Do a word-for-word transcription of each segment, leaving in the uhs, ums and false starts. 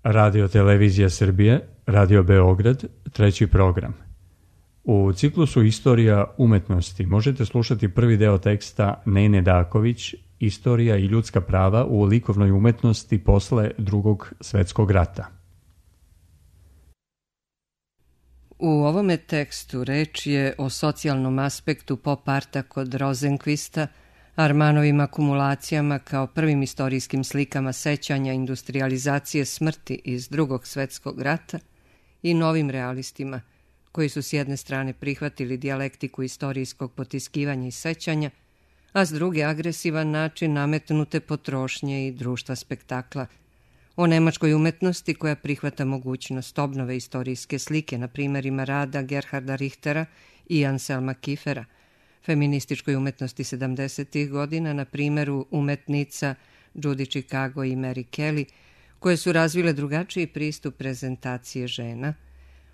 Radio Televizija Srbije, Radio Beograd, treći program. U ciklusu Istorija umetnosti možete slušati prvi deo teksta Nene Daković, Istorija i ljudska prava u likovnoj umetnosti posle Drugog svetskog rata. U ovome tekstu reč je o socijalnom aspektu pop arta kod Rozenkvista, Armanovim akumulacijama kao prvim istorijskim slikama sećanja industrijalizacije smrti iz Drugog svetskog rata i novim realistima, koji su s jedne strane prihvatili dijalektiku istorijskog potiskivanja i sećanja, a s druge agresivan način nametnute potrošnje i društva spektakla, o nemačkoj umetnosti koja prihvata mogućnost obnove istorijske slike na primjerima rada Gerharda Richtera i Anselma Kiefera, feminističkoj umetnosti sedamdesetih godina na primjeru umetnica Judy Chicago i Mary Kelly, koje su razvile drugačiji pristup prezentacije žena,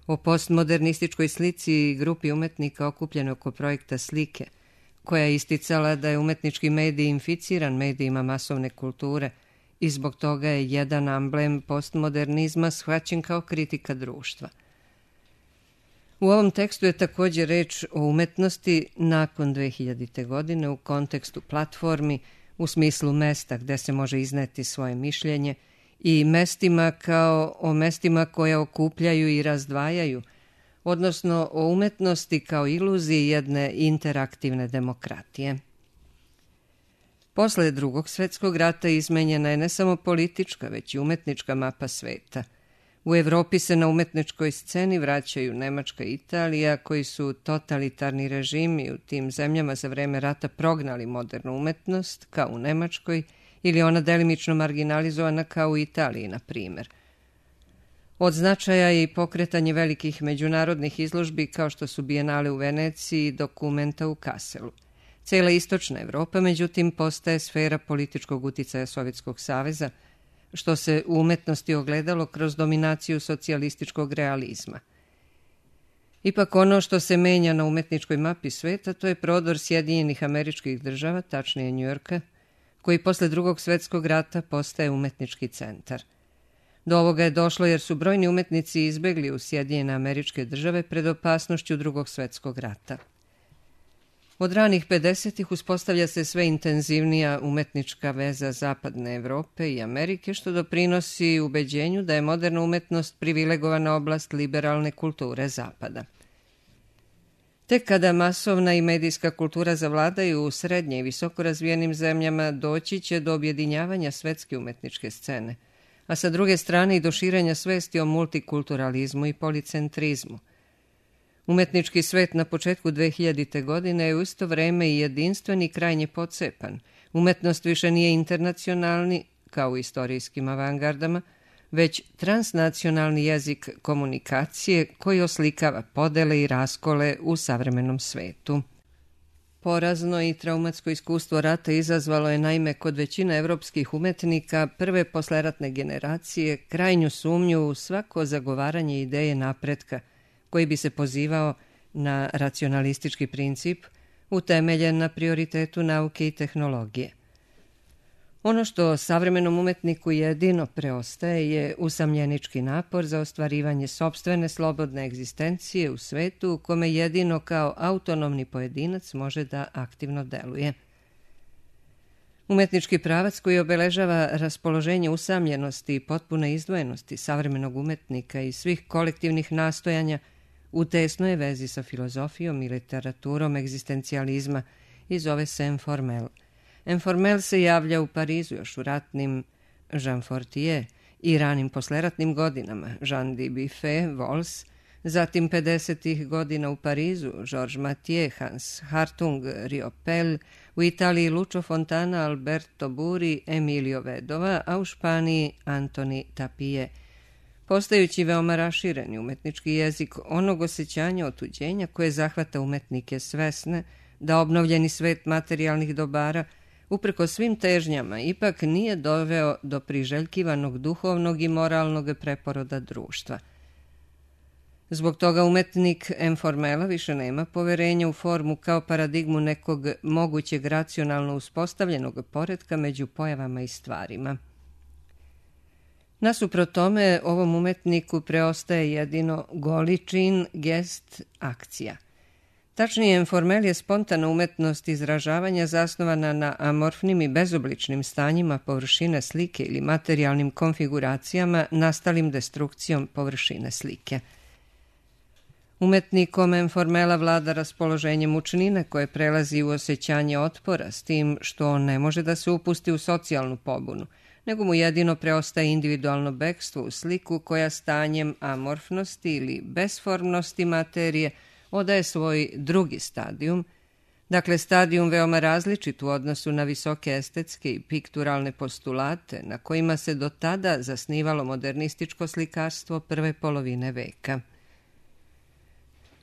o postmodernističkoj slici i grupi umetnika okupljene oko projekta slike, koja je isticala da je umetnički medij inficiran medijima masovne kulture i zbog toga je jedan amblem postmodernizma shvaćen kao kritika društva. U ovom tekstu je također reč o umetnosti nakon dve hiljadite. godine u kontekstu platformi, u smislu mesta gde se može izneti svoje mišljenje i mestima kao o mestima koja okupljaju i razdvajaju, odnosno o umetnosti kao iluziji jedne interaktivne demokratije. Posle Drugog svetskog rata izmenjena je ne samo politička, već i umetnička mapa sveta. U Evropi se na umetničkoj sceni vraćaju Nemačka i Italija, koji su totalitarni režimi u tim zemljama za vreme rata prognali modernu umetnost, kao u Nemačkoj, ili ona delimično marginalizovana kao u Italiji, na primjer. Od značaja je i pokretanje velikih međunarodnih izložbi kao što su Bijenale u Veneciji i Dokumenta u Kaselu. Cela istočna Evropa, međutim, postaje sfera političkog uticaja Sovjetskog saveza, što se u umetnosti ogledalo kroz dominaciju socijalističkog realizma. Ipak ono što se menja na umetničkoj mapi sveta, to je prodor Sjedinjenih Američkih Država, tačnije Njujorka, koji posle Drugog svetskog rata postaje umetnički centar. Do ovoga je došlo jer su brojni umetnici izbegli u Sjedinjene Američke Države pred opasnošću Drugog svetskog rata. Od ranih pedesetih uspostavlja se sve intenzivnija umetnička veza Zapadne Evrope i Amerike, što doprinosi ubeđenju da je moderna umetnost privilegovana oblast liberalne kulture Zapada. Tek kada masovna i medijska kultura zavladaju u srednje i visoko razvijenim zemljama, doći će do objedinjavanja svetske umetničke scene, a sa druge strane i do širenja svesti o multikulturalizmu i policentrizmu. Umetnički svet na početku dve hiljadite. godine je u isto vreme i jedinstven i krajnje pocepan. Umetnost više nije internacionalni, kao u istorijskim avangardama, već transnacionalni jezik komunikacije koji oslikava podele i raskole u savremenom svetu. Porazno i traumatsko iskustvo rata izazvalo je naime kod većine evropskih umetnika prve posleratne generacije krajnju sumnju u svako zagovaranje ideje napretka, koji bi se pozivao na racionalistički princip utemeljen na prioritetu nauke i tehnologije. Ono što savremenom umetniku jedino preostaje je usamljenički napor za ostvarivanje sopstvene slobodne egzistencije u svetu u kome jedino kao autonomni pojedinac može da aktivno deluje. Umetnički pravac koji obeležava raspoloženje usamljenosti i potpune izdvojenosti savremenog umetnika i svih kolektivnih nastojanja u tesnoj je vezi sa filozofijom i literaturom egzistencijalizma i zove se Informel. Informel se javlja u Parizu još u ratnim Jean Fortier i ranim posleratnim godinama Jean Dubuffet, Vols, zatim pedesetih godina u Parizu Georges Mathieu, Hans Hartung, Riopel, u Italiji Lucio Fontana, Alberto Buri, Emilio Vedova, a u Španiji Antoni Tapie, postajući veoma rašireni umetnički jezik onog osjećanja otuđenja koje zahvata umetnike svesne da obnovljeni svet materijalnih dobara, upreko svim težnjama, ipak nije doveo do priželjkivanog duhovnog i moralnog preporoda društva. Zbog toga umetnik Informela više nema poverenja u formu kao paradigmu nekog mogućeg racionalno uspostavljenog poretka među pojavama i stvarima. Nasuprot tome, ovom umetniku preostaje jedino goli čin, gest, akcija. Tačnije, informel je spontana umetnost izražavanja zasnovana na amorfnim i bezobličnim stanjima površine slike ili materijalnim konfiguracijama nastalim destrukcijom površine slike. Umetnikom informela vlada raspoloženje mučnine koje prelazi u osjećanje otpora, s tim što on ne može da se upusti u socijalnu pobunu, nego mu jedino preostaje individualno bekstvo u sliku koja stanjem amorfnosti ili besformnosti materije odaje svoj drugi stadijum, dakle stadijum veoma različit u odnosu na visoke estetske i pikturalne postulate na kojima se do tada zasnivalo modernističko slikarstvo prve polovine veka.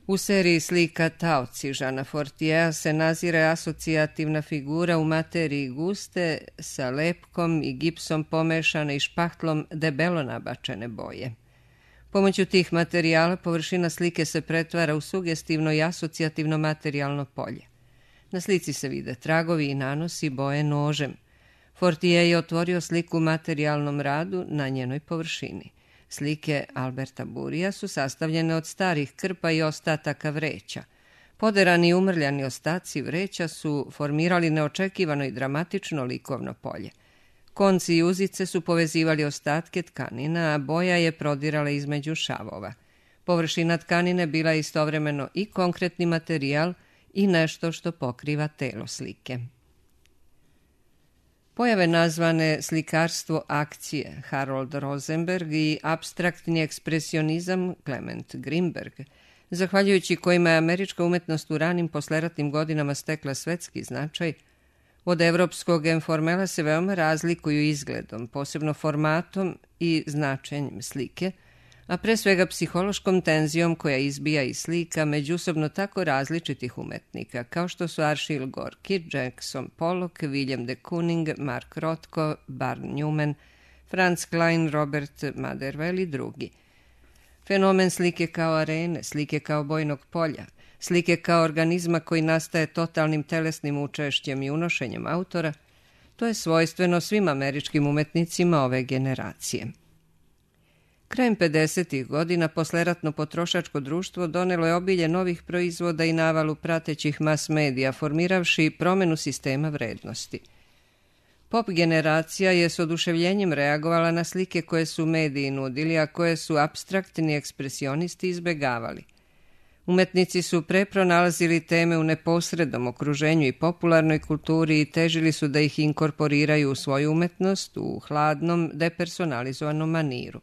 U seriji slika Taoci Žana Fortijea se nazire asocijativna figura u materiji guste sa lepkom i gipsom pomešane i špahtlom debelo nabačene boje. Pomoću tih materijala površina slike se pretvara u sugestivno i asocijativno materijalno polje. Na slici se vide tragovi i nanosi boje nožem. Fortije je otvorio sliku u materijalnom radu na njenoj površini. Slike Alberta Burija su sastavljene od starih krpa i ostataka vreća. Poderani i umrljani ostaci vreća su formirali neočekivano i dramatično likovno polje. Konci i uzice su povezivali ostatke tkanina, a boja je prodirala između šavova. Površina tkanine bila je istovremeno i konkretni materijal i nešto što pokriva telo slike. Pojave nazvane slikarstvo akcije Harold Rosenberg i apstraktni ekspresionizam Clement Greenberg, zahvaljujući kojima je američka umetnost u ranim posleratnim godinama stekla svetski značaj, od evropskog informela se veoma razlikuju izgledom, posebno formatom i značenjem slike, a pre svega psihološkom tenzijom koja izbija iz slika međusobno tako različitih umetnika, kao što su Arshil Gorki, Jackson Pollock, William de Kooning, Mark Rothko, Barr Newman, Franz Klein, Robert Motherwell i drugi. Fenomen slike kao arene, slike kao bojnog polja, slike kao organizma koji nastaje totalnim telesnim učešćem i unošenjem autora, to je svojstveno svim američkim umetnicima ove generacije. Krajem pedesetih godina posleratno potrošačko društvo donelo je obilje novih proizvoda i navalu pratećih mas medija, formiravši promenu sistema vrednosti. Pop generacija je s oduševljenjem reagovala na slike koje su mediji nudili, a koje su apstraktni ekspresionisti izbegavali. Umetnici su pre pronalazili teme u neposrednom okruženju i popularnoj kulturi i težili su da ih inkorporiraju u svoju umetnost u hladnom, depersonalizovanom maniru.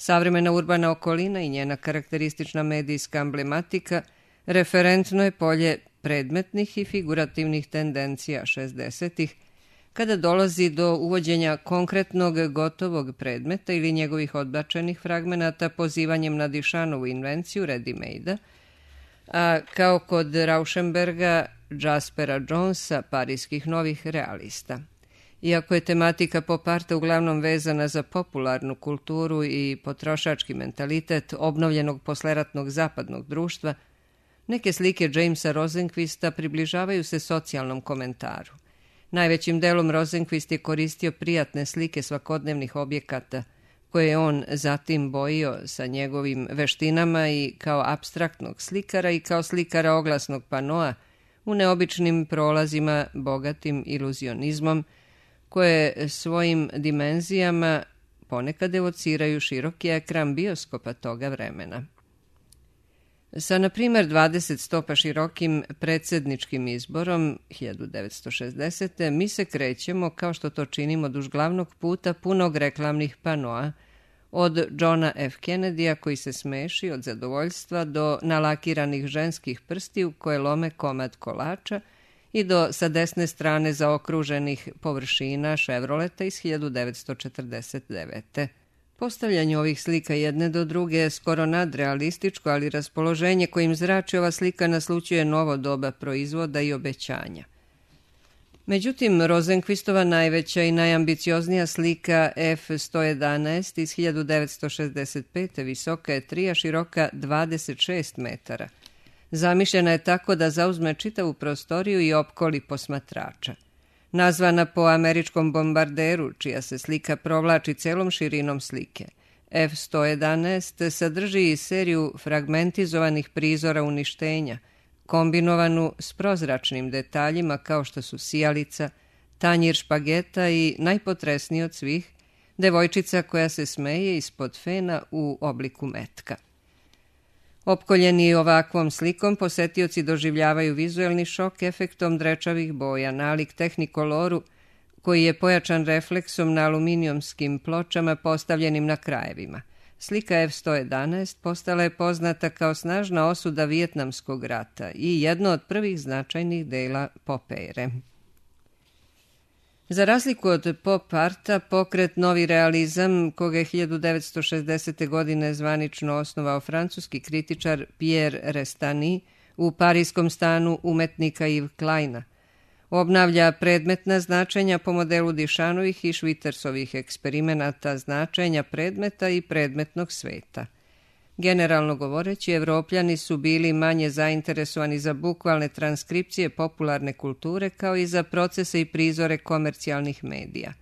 Savremena urbana okolina i njena karakteristična medijska emblematika referentno je polje predmetnih i figurativnih tendencija šezdesetih, kada dolazi do uvođenja konkretnog gotovog predmeta ili njegovih odbačenih fragmenata pozivanjem na Dišanovu invenciju ready-made-a, a kao kod Rauschenberga, Jaspera Jonesa, parijskih novih realista. Iako je tematika pop arta uglavnom vezana za popularnu kulturu i potrošački mentalitet obnovljenog posleratnog zapadnog društva, neke slike Jamesa Rosenquista približavaju se socijalnom komentaru. Najvećim delom Rosenquist je koristio prijatne slike svakodnevnih objekata, koje je on zatim bojio sa njegovim veštinama i kao apstraktnog slikara i kao slikara oglasnog panoa u neobičnim prolazima bogatim iluzionizmom, koje svojim dimenzijama ponekad evociraju široki ekran bioskopa toga vremena. Sa, na primjer, dvadeset stopa širokim predsjedničkim izborom hiljadu devetsto šezdesete. mi se krećemo, kao što to činimo duž glavnog puta, punog reklamnih panoa, od Johna F. Kennedya koji se smeši od zadovoljstva do nalakiranih ženskih prstiju koje lome komad kolača i do sa desne strane zaokruženih površina Chevroleta iz hiljadu devetsto četrdeset devete. Postavljanje ovih slika jedne do druge je skoro nadrealističko, ali raspoloženje kojim zrači ova slika naslućuje novo doba proizvoda i obećanja. Međutim, Rosenquistova najveća i najambicioznija slika F sto jedanaest iz hiljadu devetsto šezdeset pete. visoka je tri, a široka dvadeset šest metara. Zamišljena je tako da zauzme čitavu prostoriju i opkoli posmatrača. nazvana po američkom bombarderu, čija se slika provlači celom širinom slike. F sto jedanaest sadrži i seriju fragmentizovanih prizora uništenja, kombinovanu s prozračnim detaljima kao što su sijalica, tanjir špageta i, najpotresniji od svih, devojčica koja se smeje ispod fena u obliku metka. Opkoljeni ovakvom slikom, posetioci doživljavaju vizuelni šok efektom drečavih boja, nalik tehnikoloru koji je pojačan refleksom na aluminijumskim pločama postavljenim na krajevima. Slika F sto jedanaest postala je poznata kao snažna osuda Vijetnamskog rata i jedno od prvih značajnih dela pop ere. Za razliku od pop arta, pokret Novi realizam, koga je hiljadu devetsto šezdesete. godine zvanično osnovao francuski kritičar Pierre Restany u parijskom stanu umetnika Yves Kleina, obnavlja predmetna značenja po modelu Dišanovih i Švitersovih eksperimenata značenja predmeta i predmetnog sveta. Generalno govoreći, Evropljani su bili manje zainteresovani za bukvalne transkripcije popularne kulture kao i za procese i prizore komercijalnih medija.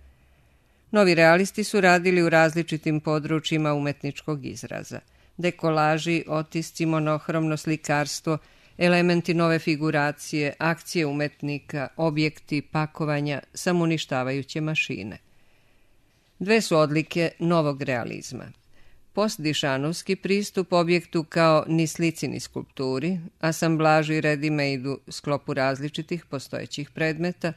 Novi realisti su radili u različitim područjima umetničkog izraza. Dekolaži, otisci, monohromno slikarstvo, elementi nove figuracije, akcije umetnika, objekti, pakovanja, samouništavajuće mašine. Dve su odlike novog realizma. Postdišanovski pristup objektu kao ni slici ni skulpturi, asamblaži i ready-made-u sklopu različitih postojećih predmeta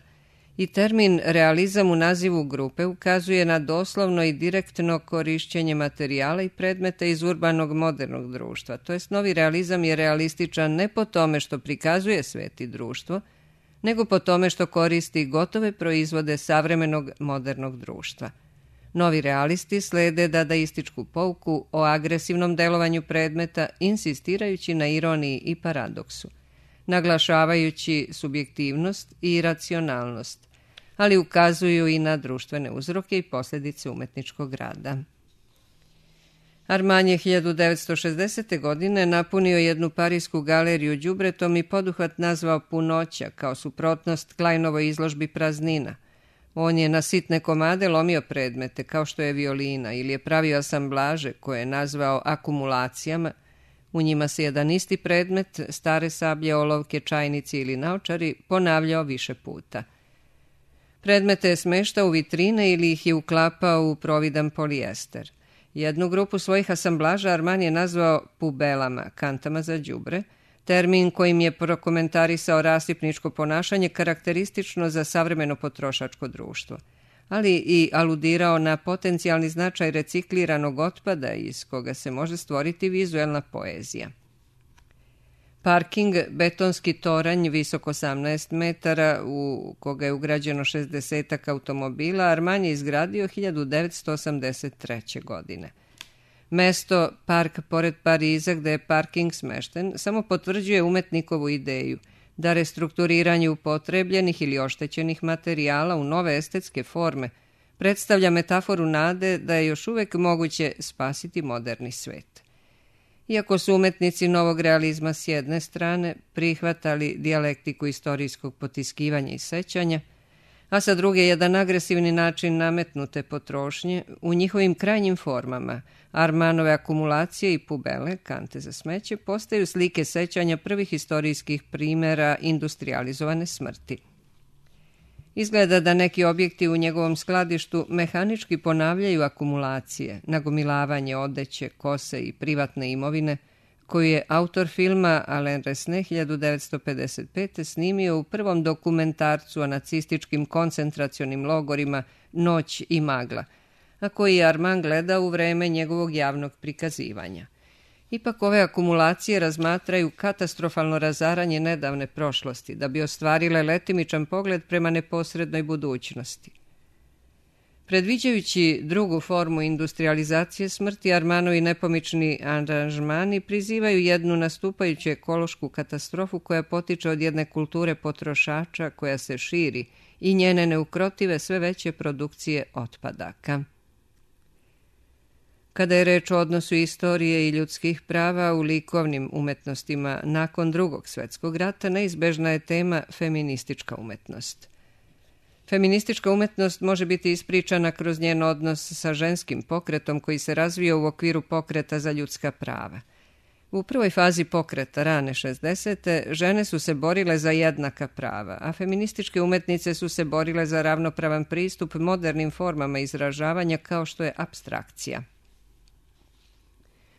i termin realizam u nazivu grupe ukazuje na doslovno i direktno korišćenje materijala i predmeta iz urbanog modernog društva. To jest, novi realizam je realističan ne po tome što prikazuje svet i društvo, nego po tome što koristi gotove proizvode savremenog modernog društva. Novi realisti slede dadaističku pouku o agresivnom delovanju predmeta, insistirajući na ironiji i paradoksu, naglašavajući subjektivnost i racionalnost, ali ukazuju i na društvene uzroke i posljedice umetničkog rada. Armani je hiljadu devetsto šezdesete. godine napunio jednu parijsku galeriju đubretom i poduhvat nazvao Punoća, kao suprotnost Kleinovoj izložbi Praznina. On je na sitne komade lomio predmete, kao što je violina, ili je pravio asamblaže koje je nazvao akumulacijama. U njima se jedan isti predmet, stare sablje, olovke, čajnici ili naočari, ponavljao više puta. Predmete je smeštao u vitrine ili ih je uklapao u providan polijester. Jednu grupu svojih asamblaža Armani je nazvao pubelama, kantama za đubre, termin kojim je prokomentarisao rasipničko ponašanje karakteristično za savremeno potrošačko društvo, ali i aludirao na potencijalni značaj recikliranog otpada iz koga se može stvoriti vizuelna poezija. Parking, betonski toranj visok osamnaest metara u koga je ugrađeno šezdesetak automobila, Armani je izgradio hiljadu devetsto osamdeset treće. godine. Mesto, park pored Pariza gde je parking smešten, samo potvrđuje umetnikovu ideju da restrukturiranje upotrebljenih ili oštećenih materijala u nove estetske forme predstavlja metaforu nade da je još uvek moguće spasiti moderni svet. Iako su umetnici novog realizma s jedne strane prihvatali dijalektiku istorijskog potiskivanja i sećanja, a sa druge jedan agresivni način nametnute potrošnje, u njihovim krajnjim formama Armanove akumulacije i pubele, kante za smeće, postaju slike sećanja prvih istorijskih primjera industrializovane smrti. Izgleda da neki objekti u njegovom skladištu mehanički ponavljaju akumulacije, nagomilavanje odeće, kose i privatne imovine, koju je autor filma Alain Resnais hiljadu devetsto pedeset pete. snimio u prvom dokumentarcu o nacističkim koncentracionim logorima Noć i magla, a koji je Armand gledao u vreme njegovog javnog prikazivanja. Ipak ove akumulacije razmatraju katastrofalno razaranje nedavne prošlosti, da bi ostvarile letimičan pogled prema neposrednoj budućnosti. Predviđajući drugu formu industrializacije smrti, Armanovi nepomični aranžmani prizivaju jednu nastupajuću ekološku katastrofu koja potiče od jedne kulture potrošača koja se širi i njene neukrotive sve veće produkcije otpadaka. Kada je reč o odnosu istorije i ljudskih prava u likovnim umetnostima nakon Drugog svjetskog rata, neizbežna je tema feministička umetnost. Feministička umetnost može biti ispričana kroz njen odnos sa ženskim pokretom koji se razvio u okviru pokreta za ljudska prava. U prvoj fazi pokreta, rane šezdesete, žene su se borile za jednaka prava, a feminističke umetnice su se borile za ravnopravan pristup modernim formama izražavanja kao što je apstrakcija.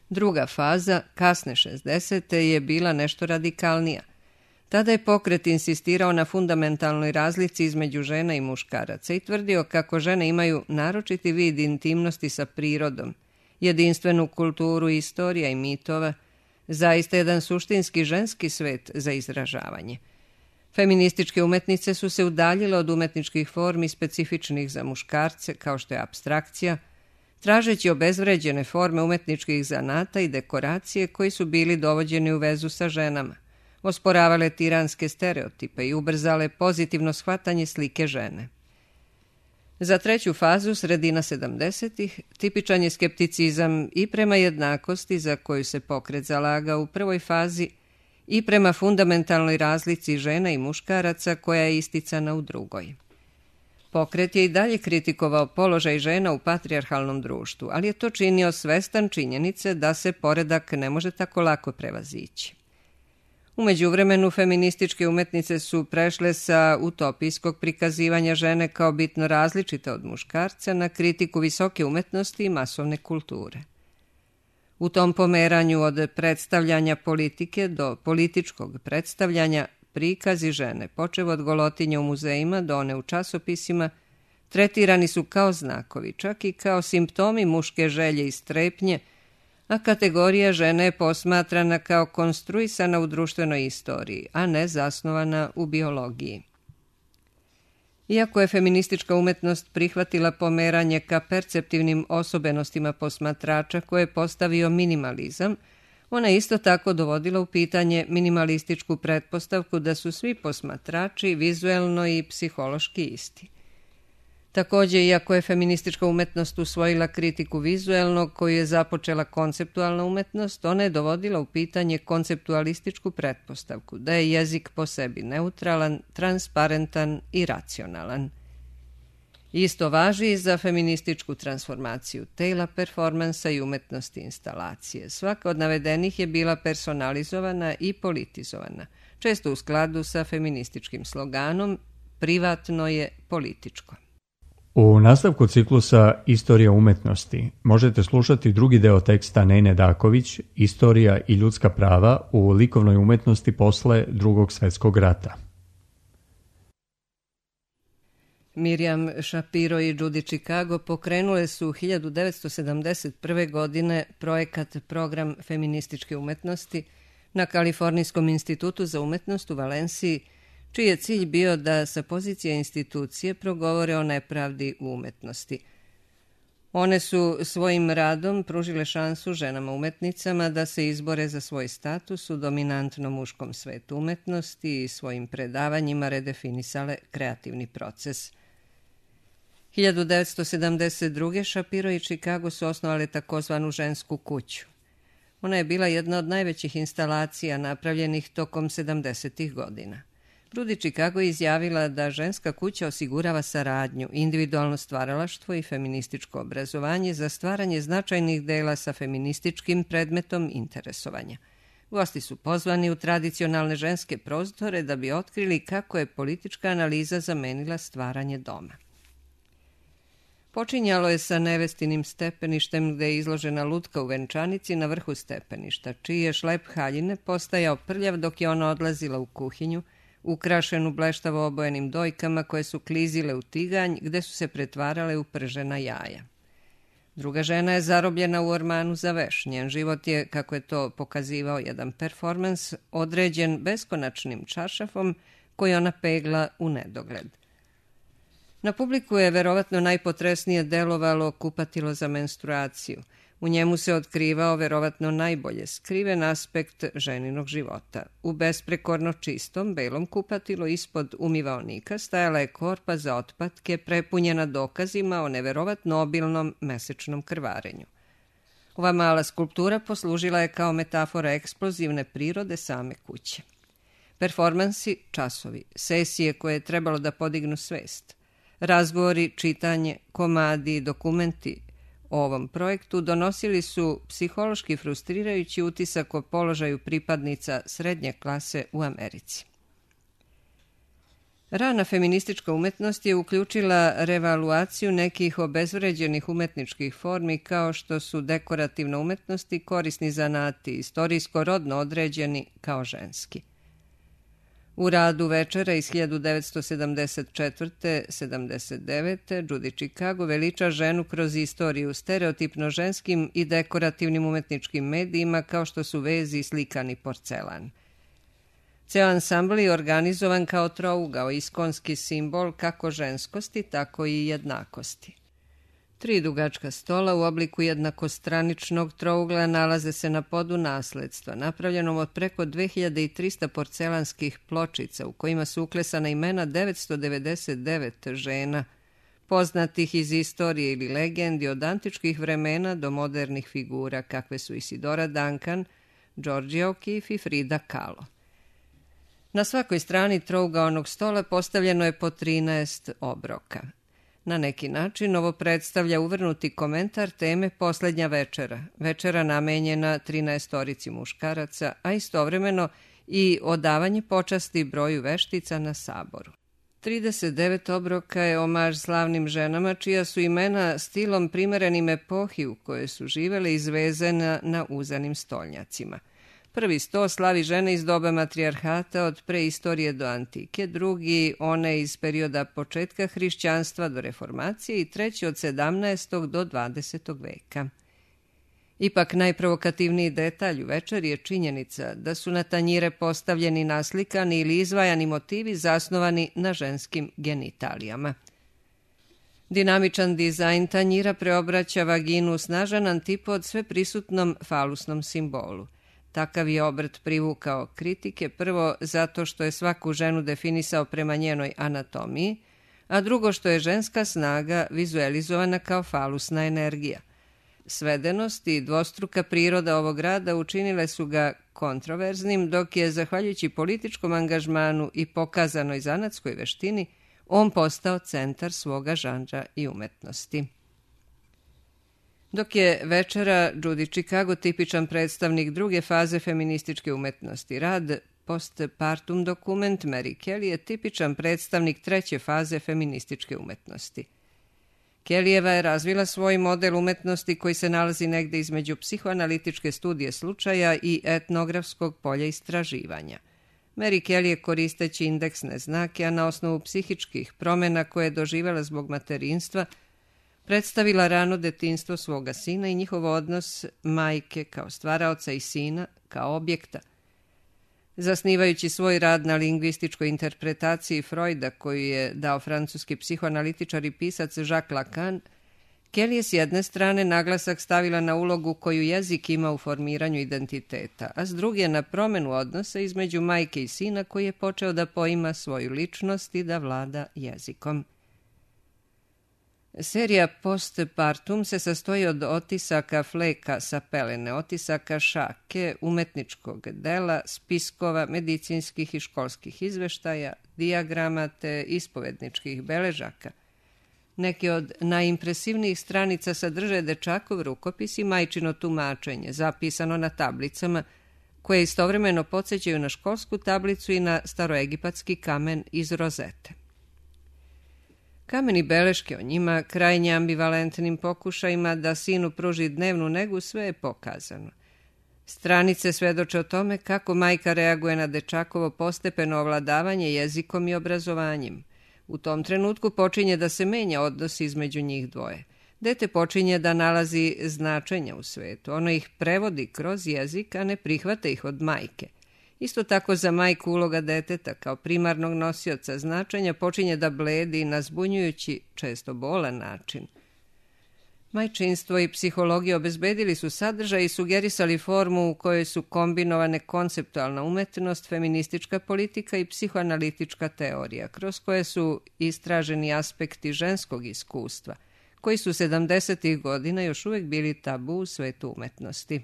Druga faza, kasne šezdesete, je bila nešto radikalnija. Tada je pokret insistirao na fundamentalnoj razlici između žena i muškaraca i tvrdio kako žene imaju naročiti vid intimnosti sa prirodom, jedinstvenu kulturu istorija i mitova, zaista jedan suštinski ženski svet za izražavanje. Feminističke umetnice su se udaljile od umetničkih formi specifičnih za muškarce, kao što je apstrakcija, tražeći obezvređene forme umetničkih zanata i dekoracije koji su bili dovođeni u vezu sa ženama, osporavale tiranske stereotipe i ubrzale pozitivno shvatanje slike žene. Za treću fazu, sredina sedamdesetih, tipičan je skepticizam i prema jednakosti za koju se pokret zalagao u prvoj fazi i prema fundamentalnoj razlici žena i muškaraca koja je isticana u drugoj. Pokret je i dalje kritikovao položaj žena u patrijarhalnom društvu, ali je to činio svestan činjenice da se poredak ne može tako lako prevazići. U međuvremenu feminističke umetnice su prešle sa utopijskog prikazivanja žene kao bitno različite od muškarca na kritiku visoke umetnosti i masovne kulture. U tom pomeranju od predstavljanja politike do političkog predstavljanja prikazi žene, počev od golotinja u muzejima do one u časopisima, tretirani su kao znakovi, čak i kao simptomi muške želje i strepnje, a kategorija žene je posmatrana kao konstruisana u društvenoj istoriji, a ne zasnovana u biologiji. Iako je feministička umetnost prihvatila pomeranje ka perceptivnim osobenostima posmatrača koje je postavio minimalizam, ona je isto tako dovodila u pitanje minimalističku pretpostavku da su svi posmatrači vizuelno i psihološki isti. Također, iako je feministička umetnost usvojila kritiku vizuelnog koju je započela konceptualna umetnost, ona je dovodila u pitanje konceptualističku pretpostavku, da je jezik po sebi neutralan, transparentan i racionalan. Isto važi i za feminističku transformaciju tela, performansa i umetnosti instalacije. Svaka od navedenih je bila personalizovana i politizovana, često u skladu sa feminističkim sloganom "privatno je političko". U nastavku ciklusa Istorija umetnosti možete slušati drugi deo teksta Nejne Daković, Istorija i ljudska prava u likovnoj umetnosti posle Drugog svjetskog rata. Miriam Shapiro i Judy Chicago pokrenule su hiljadu devetsto sedamdeset prve. godine projekat Program feminističke umetnosti na Kalifornijskom institutu za umetnost u Valenciji, čiji je cilj bio da sa pozicije institucije progovore o nepravdi u umetnosti. One su svojim radom pružile šansu ženama umetnicama da se izbore za svoj status u dominantnom muškom svetu umetnosti i svojim predavanjima redefinisale kreativni proces. hiljadu devetsto sedamdeset druge. Shapiro i Chicago su osnovali takozvanu žensku kuću. Ona je bila jedna od najvećih instalacija napravljenih tokom sedamdesetih godina. Judy Chicago je izjavila da ženska kuća osigurava saradnju, individualno stvaralaštvo i feminističko obrazovanje za stvaranje značajnih dela sa feminističkim predmetom interesovanja. Gosti su pozvani u tradicionalne ženske prostore da bi otkrili kako je politička analiza zamenila stvaranje doma. Počinjalo je sa nevestinim stepeništem gde je izložena lutka u venčanici na vrhu stepeništa, čiji je šlep haljine postajao prljav dok je ona odlazila u kuhinju, ukrašenu bleštavo obojenim dojkama koje su klizile u tiganj gde su se pretvarale u pržena jaja. Druga žena je zarobljena u ormanu za veš. Njen život je, kako je to pokazivao jedan performans, određen beskonačnim čaršafom koji ona pegla u nedogled. Na publiku je verovatno najpotresnije delovalo kupatilo za menstruaciju. U njemu se otkrivao verovatno najbolje skriven aspekt ženinog života. U besprekorno čistom, belom kupatilu ispod umivaonika stajala je korpa za otpatke prepunjena dokazima o neverovatno obilnom mesečnom krvarenju. Ova mala skulptura poslužila je kao metafora eksplozivne prirode same kuće. Performansi, časovi, sesije koje je trebalo da podignu svest. Razgovori, čitanje, komadi i dokumenti o ovom projektu donosili su psihološki frustrirajući utisak o položaju pripadnica srednje klase u Americi. Rana feministička umetnost je uključila revaluaciju nekih obezvređenih umetničkih formi kao što su dekorativna umetnost i korisni zanati, istorijsko rodno određeni kao ženski. U radu Večera iz hiljadu devetsto sedamdeset četvrte do sedamdeset devete. Judy Chicago veliča ženu kroz istoriju stereotipno ženskim i dekorativnim umetničkim medijima kao što su vezi i slikani porcelan. Ceo ansambl je organizovan kao trougao, iskonski simbol kako ženskosti, tako i jednakosti. Tri dugačka stola u obliku jednakostraničnog trougla nalaze se na podu nasledstva, napravljenom od preko dve hiljade trista porcelanskih pločica u kojima su uklesana imena devetsto devedeset devet žena, poznatih iz istorije ili legendi od antičkih vremena do modernih figura kakve su Isidora Duncan, Georgia O'Keeffe i Frida Kahlo. Na svakoj strani trougaonog stola postavljeno je po trinaest obroka. Na neki način ovo predstavlja uvrnuti komentar teme Poslednja večera, večera namenjena trinaestorici muškaraca, a istovremeno i odavanje počasti broju veštica na saboru. trideset devet obroka je omaž slavnim ženama čija su imena stilom primerenim epohi u kojoj su živele izvezena na uzanim stolnjacima. Prvi sto slavi žene iz doba matrijarhata od preistorije do antike, drugi one iz perioda početka hrišćanstva do reformacije i treći od sedamnaestog do dvadesetog veka. Ipak najprovokativniji detalj u večeri je činjenica da su na tanjire postavljeni naslikani ili izvajani motivi zasnovani na ženskim genitalijama. Dinamičan dizajn tanjira preobraća vaginu u snažan antipod sveprisutnom falusnom simbolu. Takav je obrt privukao kritike, prvo zato što je svaku ženu definisao prema njenoj anatomiji, a drugo što je ženska snaga vizualizovana kao falusna energija. Svedenost i dvostruka priroda ovog rada učinile su ga kontroverznim, dok je, zahvaljujući političkom angažmanu i pokazanoj zanatskoj veštini, on postao centar svoga žanra i umetnosti. Dok je Večera Judy Chicago tipičan predstavnik druge faze feminističke umetnosti, rad Postpartum dokument Mary Kelly je tipičan predstavnik treće faze feminističke umetnosti. Kellyjeva je razvila svoj model umetnosti koji se nalazi negde između psihoanalitičke studije slučaja i etnografskog polja istraživanja. Mary Kelly je, koristeći indeksne znake, a na osnovu psihičkih promjena koje je doživjela zbog materinstva, predstavila rano detinjstvo svoga sina i njihov odnos majke kao stvaraoca i sina kao objekta. Zasnivajući svoj rad na lingvističkoj interpretaciji Freuda, koju je dao francuski psihoanalitičar i pisac Jacques Lacan, Kelly je s jedne strane naglasak stavila na ulogu koju jezik ima u formiranju identiteta, a s druge na promjenu odnosa između majke i sina koji je počeo da poima svoju ličnost i da vlada jezikom. Serija Postpartum se sastoji od otisaka fleka sa pelene, otisaka šake, umetničkog dela, spiskova, medicinskih i školskih izveštaja, dijagrama te ispovedničkih beležaka. Neki od najimpresivnijih stranica sadrže dečakov rukopis i majčino tumačenje, zapisano na tablicama, koje istovremeno podsjećaju na školsku tablicu i na staroegipatski kamen iz rozete. Kameni beleške o njima, krajnje ambivalentnim pokušajima da sinu pruži dnevnu negu, sve je pokazano. Stranice svedoče o tome kako majka reaguje na dečakovo postepeno ovladavanje jezikom i obrazovanjem. U tom trenutku počinje da se menja odnos između njih dvoje. Dete počinje da nalazi značenja u svetu. Ono ih prevodi kroz jezik, a ne prihvata ih od majke. Isto tako za majku uloga deteta kao primarnog nosioca značenja počinje da bledi na zbunjujući, često bolan način. Majčinstvo i psihologija obezbedili su sadržaj i sugerisali formu u kojoj su kombinovane konceptualna umetnost, feministička politika i psihoanalitička teorija, kroz koje su istraženi aspekti ženskog iskustva, koji su sedamdesetih godina još uvijek bili tabu u svetu umetnosti.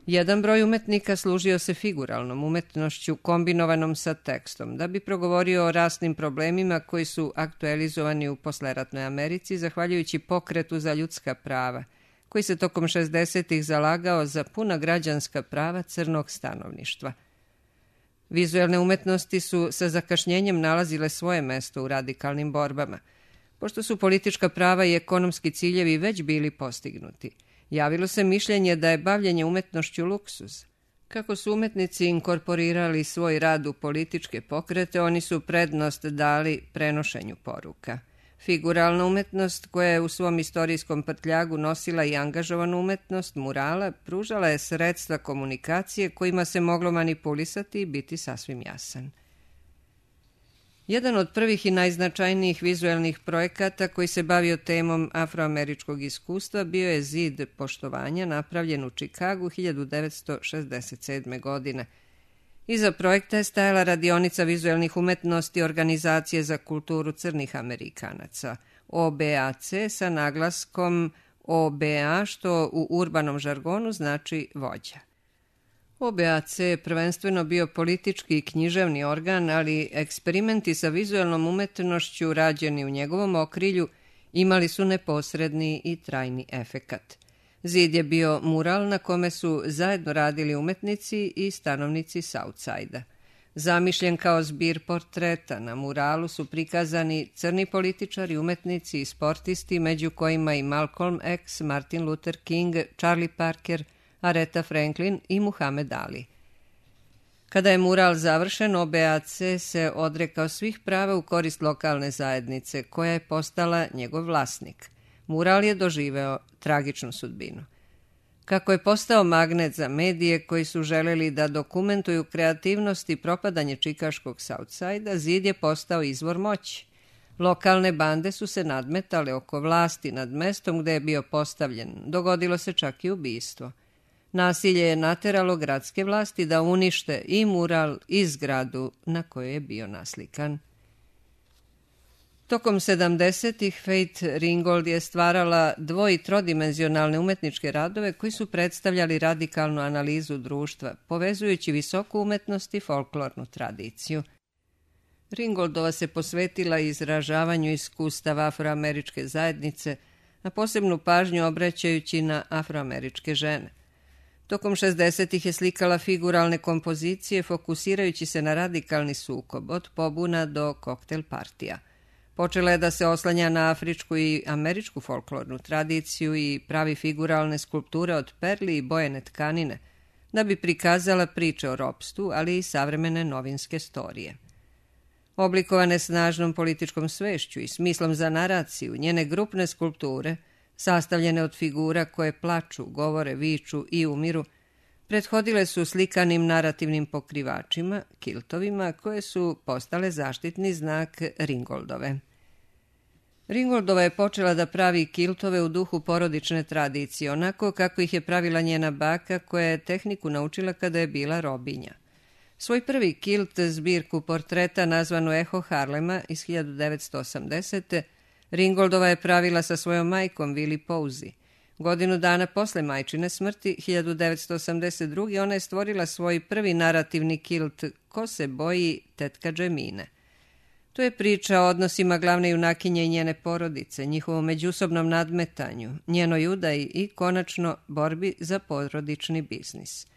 Jedan broj umetnika služio se figuralnom umetnošću kombinovanom sa tekstom, da bi progovorio o rasnim problemima koji su aktualizovani u posleratnoj Americi zahvaljujući pokretu za ljudska prava, koji se tokom šezdesetih zalagao za puna građanska prava crnog stanovništva. Vizuelne umetnosti su sa zakašnjenjem nalazile svoje mesto u radikalnim borbama, pošto su politička prava i ekonomski ciljevi već bili postignuti. Javilo se mišljenje da je bavljenje umetnošću luksuz. Kako su umetnici inkorporirali svoj rad u političke pokrete, oni su prednost dali prenošenju poruka. Figuralna umetnost, koja je u svom istorijskom prtljagu nosila i angažovanu umetnost murala, pružala je sredstva komunikacije kojima se moglo manipulisati i biti sasvim jasan. Jedan od prvih i najznačajnijih vizuelnih projekata koji se bavio temom afroameričkog iskustva bio je Zid poštovanja, napravljen u Čikagu hiljadu devetsto šezdeset sedme. godine. Iza projekta je stajala radionica vizuelnih umetnosti Organizacije za kulturu crnih Amerikanaca, O B A C, sa naglaskom O B A, što u urbanom žargonu znači vođa. O B A C je prvenstveno bio politički i književni organ, ali eksperimenti sa vizuelnom umetnošću rađeni u njegovom okrilju imali su neposredni i trajni efekat. Zid je bio mural na kome su zajedno radili umetnici i stanovnici Southside-a. Zamišljen kao zbir portreta, na muralu su prikazani crni političari, umetnici i sportisti, među kojima i Malcolm X, Martin Luther King, Charlie Parker, Aretha Franklin i Muhammed Ali. Kada je mural završen, O B A C se odrekao svih prava u korist lokalne zajednice, koja je postala njegov vlasnik. Mural je doživeo tragičnu sudbinu. Kako je postao magnet za medije koji su želeli da dokumentuju kreativnost i propadanje čikaškog Southside-a, Zid je postao izvor moći. Lokalne bande su se nadmetale oko vlasti nad mestom gde je bio postavljen. Dogodilo se čak i ubistvo. Nasilje je nateralo gradske vlasti da unište i mural i zgradu na kojoj je bio naslikan. Tokom sedamdesetih Faith Ringgold je stvarala dvo- i trodimenzionalne umetničke radove koji su predstavljali radikalnu analizu društva, povezujući visoku umetnost i folklornu tradiciju. Ringgoldova se posvetila izražavanju iskustava afroameričke zajednice, a posebnu pažnju obraćajući na afroameričke žene. Tokom šezdesetih je slikala figuralne kompozicije fokusirajući se na radikalni sukob, od pobuna do koktel partija. Počela je da se oslanja na afričku i američku folklornu tradiciju i pravi figuralne skulpture od perli i bojene tkanine, da bi prikazala priče o ropstvu, ali i savremene novinske storije. Oblikovane snažnom političkom svešću i smislom za naraciju, njene grupne skulpture, sastavljene od figura koje plaču, govore, viču i umiru, prethodile su slikanim narativnim pokrivačima, kiltovima, koje su postale zaštitni znak Ringgoldove. Ringgoldova je počela da pravi kiltove u duhu porodične tradicije, onako kako ih je pravila njena baka, koja je tehniku naučila kada je bila robinja. Svoj prvi kilt, zbirku portreta nazvanu Eho Harlema iz hiljadu devetsto osamdesete. Ringgoldova je pravila sa svojom majkom Willie Posey. Godinu dana posle majčine smrti, hiljadu devetsto osamdeset druge. ona je stvorila svoj prvi narativni kilt Ko se boji tetka Džemine. To je priča o odnosima glavne junakinje i njene porodice, njihovom međusobnom nadmetanju, njenoj udaji i, konačno, borbi za porodični biznis.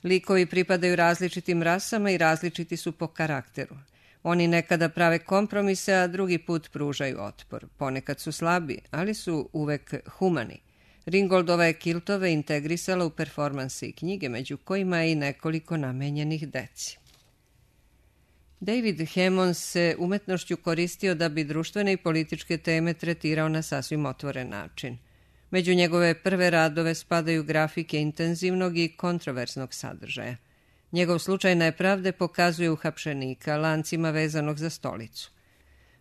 Likovi pripadaju različitim rasama i različiti su po karakteru. Oni nekada prave kompromise, a drugi put pružaju otpor. Ponekad su slabi, ali su uvek humani. Ringgoldova je kiltove integrisala u performanse i knjige, među kojima je i nekoliko namenjenih deci. David Hemmons se umetnošću koristio da bi društvene i političke teme tretirao na sasvim otvoren način. Među njegove prve radove spadaju grafike intenzivnog i kontroverznog sadržaja. Njegov slučaj nepravde pokazuje uhapšenika lancima vezanog za stolicu.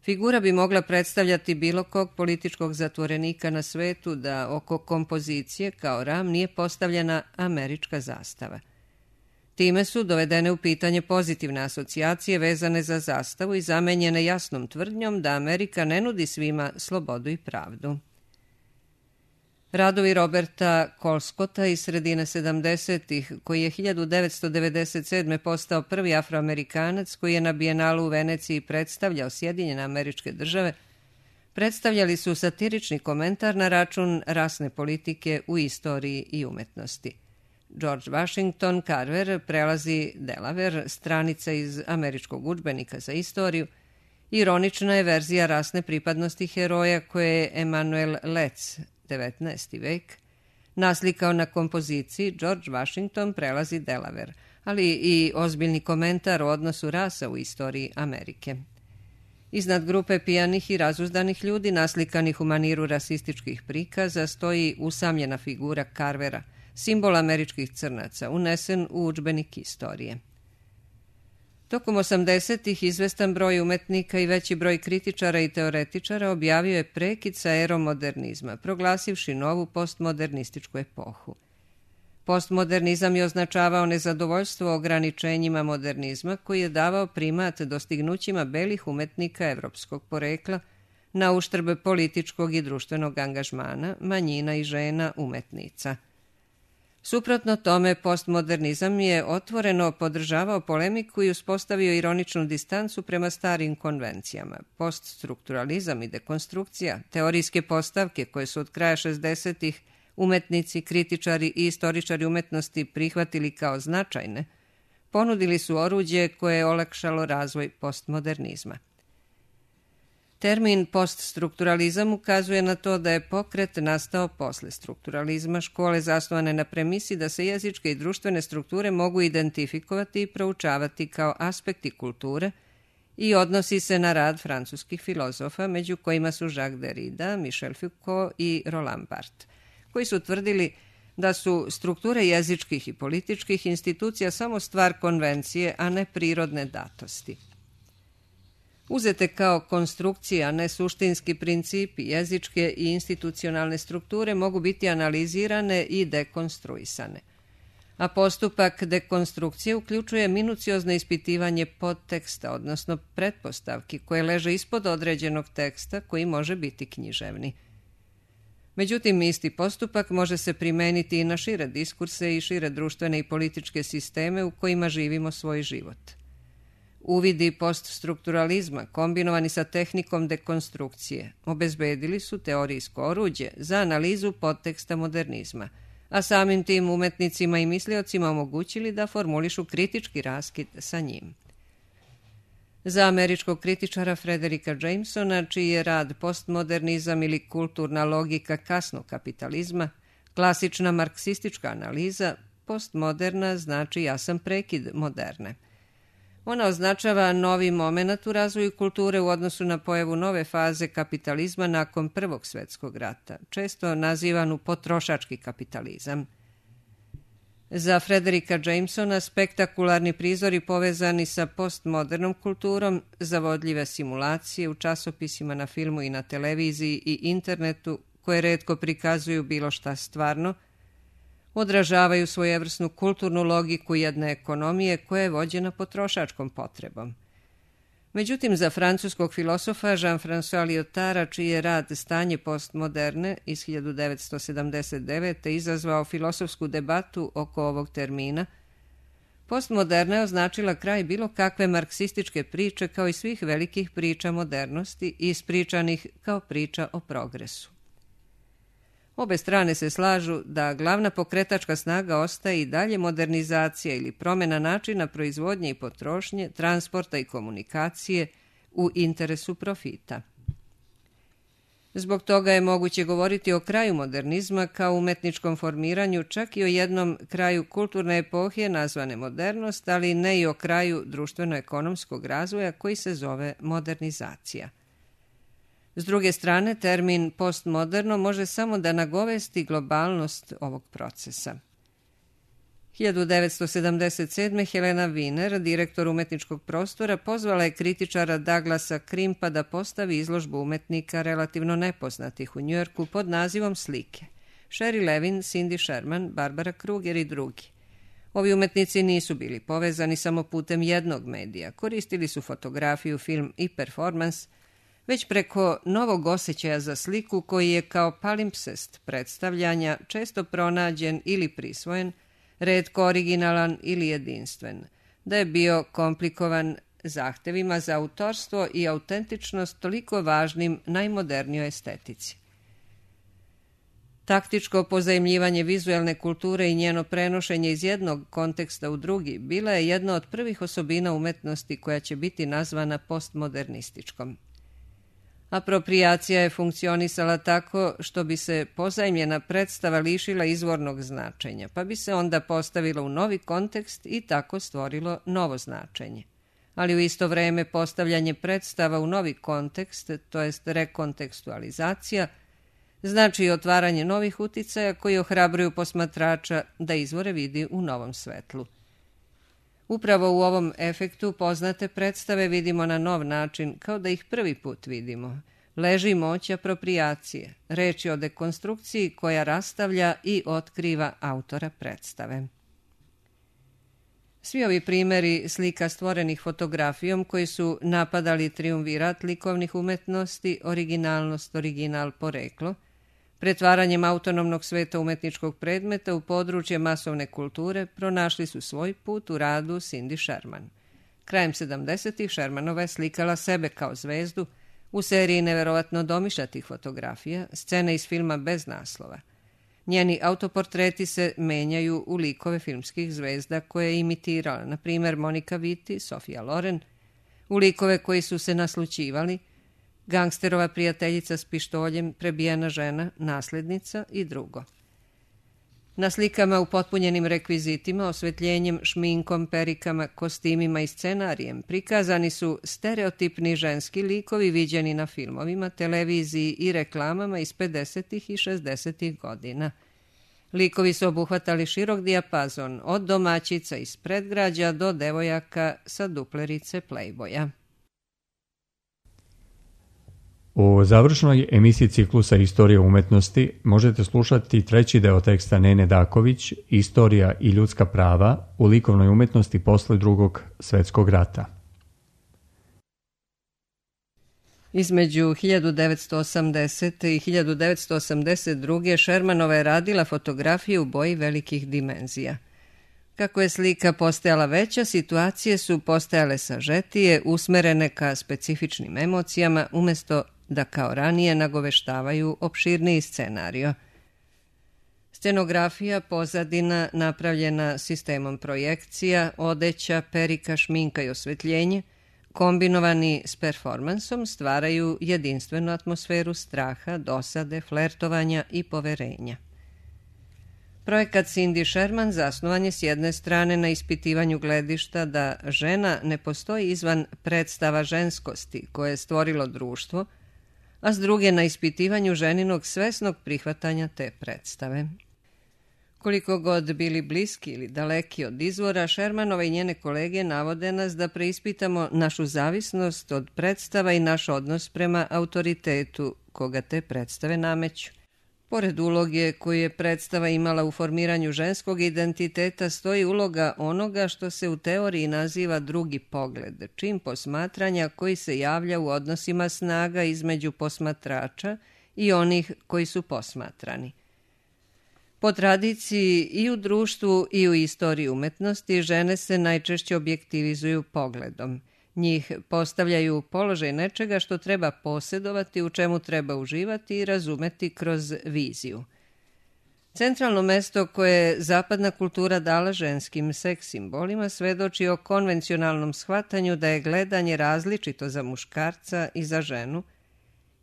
Figura bi mogla predstavljati bilo kog političkog zatvorenika na svetu da oko kompozicije kao ram nije postavljena američka zastava. Time su dovedene u pitanje pozitivne asocijacije vezane za zastavu i zamenjene jasnom tvrdnjom da Amerika ne nudi svima slobodu i pravdu. Radovi Roberta Colescotta iz sredine sedamdesetih, koji je hiljadu devetsto devedeset sedme. postao prvi Afroamerikanac koji je na Bijenalu u Veneciji predstavljao Sjedinjene Američke Države, predstavljali su satirični komentar na račun rasne politike u istoriji i umetnosti. George Washington Carver prelazi Delaware, stranica iz američkog udžbenika za istoriju, ironična je verzija rasne pripadnosti heroja koje je Emanuel Letts, devetnaesti vek, naslikao na kompoziciji George Washington prelazi Delaware, ali i ozbiljni komentar o odnosu rasa u istoriji Amerike. Iznad grupe pijanih i razuzdanih ljudi naslikanih u maniru rasističkih prikaza stoji usamljena figura Carvera, simbol američkih crnaca, unesen u udžbenik istorije. Tokom osamdesetih izvestan broj umetnika i veći broj kritičara i teoretičara objavio je prekid sa erom modernizma, proglasivši novu postmodernističku epohu. Postmodernizam je označavao nezadovoljstvo ograničenjima modernizma koji je davao primat dostignućima belih umetnika evropskog porekla na uštrb političkog i društvenog angažmana, manjina i žena umetnica. Suprotno tome, postmodernizam je otvoreno podržavao polemiku i uspostavio ironičnu distancu prema starim konvencijama. Poststrukturalizam i dekonstrukcija, teorijske postavke koje su od kraja šezdesetih umetnici, kritičari i istoričari umetnosti prihvatili kao značajne, ponudili su oruđe koje je olakšalo razvoj postmodernizma. Termin poststrukturalizam ukazuje na to da je pokret nastao posle strukturalizma, škole zasnovane na premisi da se jezičke i društvene strukture mogu identifikovati i proučavati kao aspekti kulture i odnosi se na rad francuskih filozofa, među kojima su Jacques Derrida, Michel Foucault i Roland Barthes, koji su tvrdili da su strukture jezičkih i političkih institucija samo stvar konvencije, a ne prirodne datosti. Uzete kao konstrukcije, a ne suštinski principi, jezičke i institucionalne strukture mogu biti analizirane i dekonstruisane. A postupak dekonstrukcije uključuje minuciozno ispitivanje podteksta, odnosno pretpostavki koje leže ispod određenog teksta koji može biti književni. Međutim, isti postupak može se primeniti i na šire diskurse i šire društvene i političke sisteme u kojima živimo svoj život. Uvidi poststrukturalizma, kombinovani sa tehnikom dekonstrukcije, obezbedili su teorijsko oruđe za analizu podteksta modernizma, a samim tim umetnicima i misliocima omogućili da formulišu kritički raskid sa njim. Za američkog kritičara Frederika Jamesona, čiji je rad postmodernizam ili kulturna logika kasnog kapitalizma, klasična marksistička analiza, postmoderna znači jasan prekid moderne. Ona označava novi moment u razvoju kulture u odnosu na pojavu nove faze kapitalizma nakon Prvog svjetskog rata, često nazivanu potrošački kapitalizam. Za Frederika Jamesona spektakularni prizori povezani sa postmodernom kulturom, zavodljive simulacije u časopisima, na filmu i na televiziji i internetu, koje retko prikazuju bilo šta stvarno, odražavaju svojevrsnu kulturnu logiku jedne ekonomije koja je vođena potrošačkom potrebom. Međutim, za francuskog filosofa Jean-François Lyotara, čiji je rad Stanje postmoderne iz hiljadu devetsto sedamdeset devete. izazvao filosofsku debatu oko ovog termina, postmoderna je označila kraj bilo kakve marksističke priče kao i svih velikih priča modernosti, ispričanih kao priča o progresu. Obe strane se slažu da glavna pokretačka snaga ostaje i dalje modernizacija ili promjena načina proizvodnje i potrošnje, transporta i komunikacije u interesu profita. Zbog toga je moguće govoriti o kraju modernizma kao umetničkom formiranju, čak i o jednom kraju kulturne epohe nazvane modernost, ali ne i o kraju društveno-ekonomskog razvoja koji se zove modernizacija. S druge strane, termin postmoderno može samo da nagovesti globalnost ovog procesa. hiljadu devetsto sedamdeset sedme. Helena Wiener, direktor umetničkog prostora, pozvala je kritičara Douglasa Crimpa da postavi izložbu umetnika relativno nepoznatih u Njujorku pod nazivom Slike. Sherry Levin, Cindy Sherman, Barbara Kruger i drugi. Ovi umetnici nisu bili povezani samo putem jednog medija, koristili su fotografiju, film i performans, već preko novog osjećaja za sliku koji je kao palimpsest predstavljanja često pronađen ili prisvojen, retko originalan ili jedinstven, da je bio komplikovan zahtevima za autorstvo i autentičnost toliko važnim najmodernijoj estetici. Taktičko pozajmljivanje vizuelne kulture i njeno prenošenje iz jednog konteksta u drugi bila je jedna od prvih osobina umetnosti koja će biti nazvana postmodernističkom. Aproprijacija je funkcionisala tako što bi se pozajmljena predstava lišila izvornog značenja, pa bi se onda postavila u novi kontekst i tako stvorilo novo značenje. Ali u isto vreme postavljanje predstava u novi kontekst, to jest rekontekstualizacija, znači i otvaranje novih uticaja koji ohrabruju posmatrača da izvore vidi u novom svetlu. Upravo u ovom efektu poznate predstave vidimo na nov način, kao da ih prvi put vidimo. Leži moć aproprijacije, reč je o dekonstrukciji koja rastavlja i otkriva autora predstave. Svi ovi primjeri slika stvorenih fotografijom koji su napadali triumvirat likovnih umetnosti, originalnost, original, poreklo, pretvaranjem autonomnog sveta umetničkog predmeta u područje masovne kulture pronašli su svoj put u radu Cindy Sherman. Krajem sedamdesetih Shermanova je slikala sebe kao zvezdu u seriji neverovatno domišljatih fotografija, scene iz filma bez naslova. Njeni autoportreti se menjaju u likove filmskih zvezda koje je imitirala, na primjer Monika Vitti, Sofia Loren, u likove koji su se naslućivali, gangsterova prijateljica s pištoljem, prebijena žena, naslednica i drugo. Na slikama upotpunjenim rekvizitima, osvetljenjem, šminkom, perikama, kostimima i scenarijem prikazani su stereotipni ženski likovi viđeni na filmovima, televiziji i reklamama iz pedesetih i šezdesetih godina. Likovi su obuhvatali širok dijapazon, od domaćica iz predgrađa do devojaka sa duplerice Playboya. U završnoj emisiji ciklusa Istorija umetnosti možete slušati treći deo teksta Nene Daković, Istorija i ljudska prava u likovnoj umetnosti posle drugog svjetskog rata. Između hiljadu devetsto osamdesete i hiljadu devetsto osamdeset druge. Shermanova je radila fotografije u boji velikih dimenzija. Kako je slika postajala veća, situacije su postajale sažetije, usmerene ka specifičnim emocijama, umjesto da kao ranije nagoveštavaju opširniji scenario. Scenografija, pozadina napravljena sistemom projekcija, odeća, perika, šminka i osvetljenje, kombinovani s performansom, stvaraju jedinstvenu atmosferu straha, dosade, flertovanja i poverenja. Projekat Cindy Sherman zasnovan je s jedne strane na ispitivanju gledišta da žena ne postoji izvan predstava ženskosti koje je stvorilo društvo, a s druge na ispitivanju ženinog svesnog prihvatanja te predstave. Koliko god bili bliski ili daleki od izvora, Shermanova i njene kolege navode nas da preispitamo našu zavisnost od predstava i naš odnos prema autoritetu koga te predstave nameću. Pored uloge koju je predstava imala u formiranju ženskog identiteta, stoji uloga onoga što se u teoriji naziva drugi pogled, čin posmatranja koji se javlja u odnosima snaga između posmatrača i onih koji su posmatrani. Po tradiciji i u društvu i u istoriji umetnosti žene se najčešće objektivizuju pogledom. Njih postavljaju u položaj nečega što treba posjedovati, u čemu treba uživati i razumeti kroz viziju. Centralno mesto koje je zapadna kultura dala ženskim seks simbolima svedoči o konvencionalnom shvatanju da je gledanje različito za muškarca i za ženu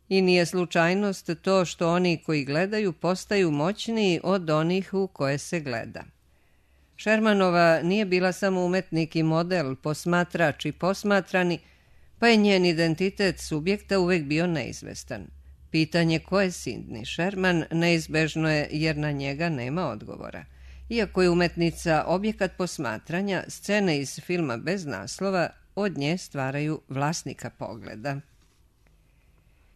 i nije slučajnost to što oni koji gledaju postaju moćniji od onih u koje se gleda. Shermanova nije bila samo umetnik i model, posmatrač i posmatrani, pa je njen identitet subjekta uvek bio neizvestan. Pitanje ko je Cindy Sherman neizbežno je jer na njega nema odgovora. Iako je umetnica objekat posmatranja, scene iz filma bez naslova od nje stvaraju vlasnika pogleda.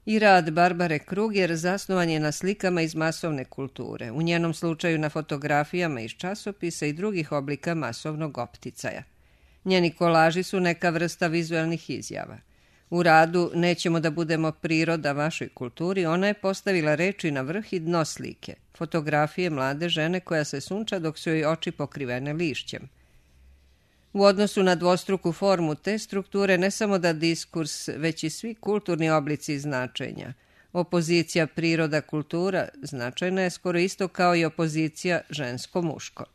I rad Barbare Kruger zasnovan je na slikama iz masovne kulture, u njenom slučaju na fotografijama iz časopisa i drugih oblika masovnog opticaja. Njeni kolaži su neka vrsta vizuelnih izjava. U radu Nećemo da budemo priroda vašoj kulturi ona je postavila reči na vrh i dno slike, fotografije mlade žene koja se sunča dok su joj oči pokrivene lišćem. U odnosu na dvostruku formu te strukture ne samo da diskurs, već i svi kulturni oblici značenja. Opozicija priroda-kultura značajna je skoro isto kao i opozicija žensko-muško.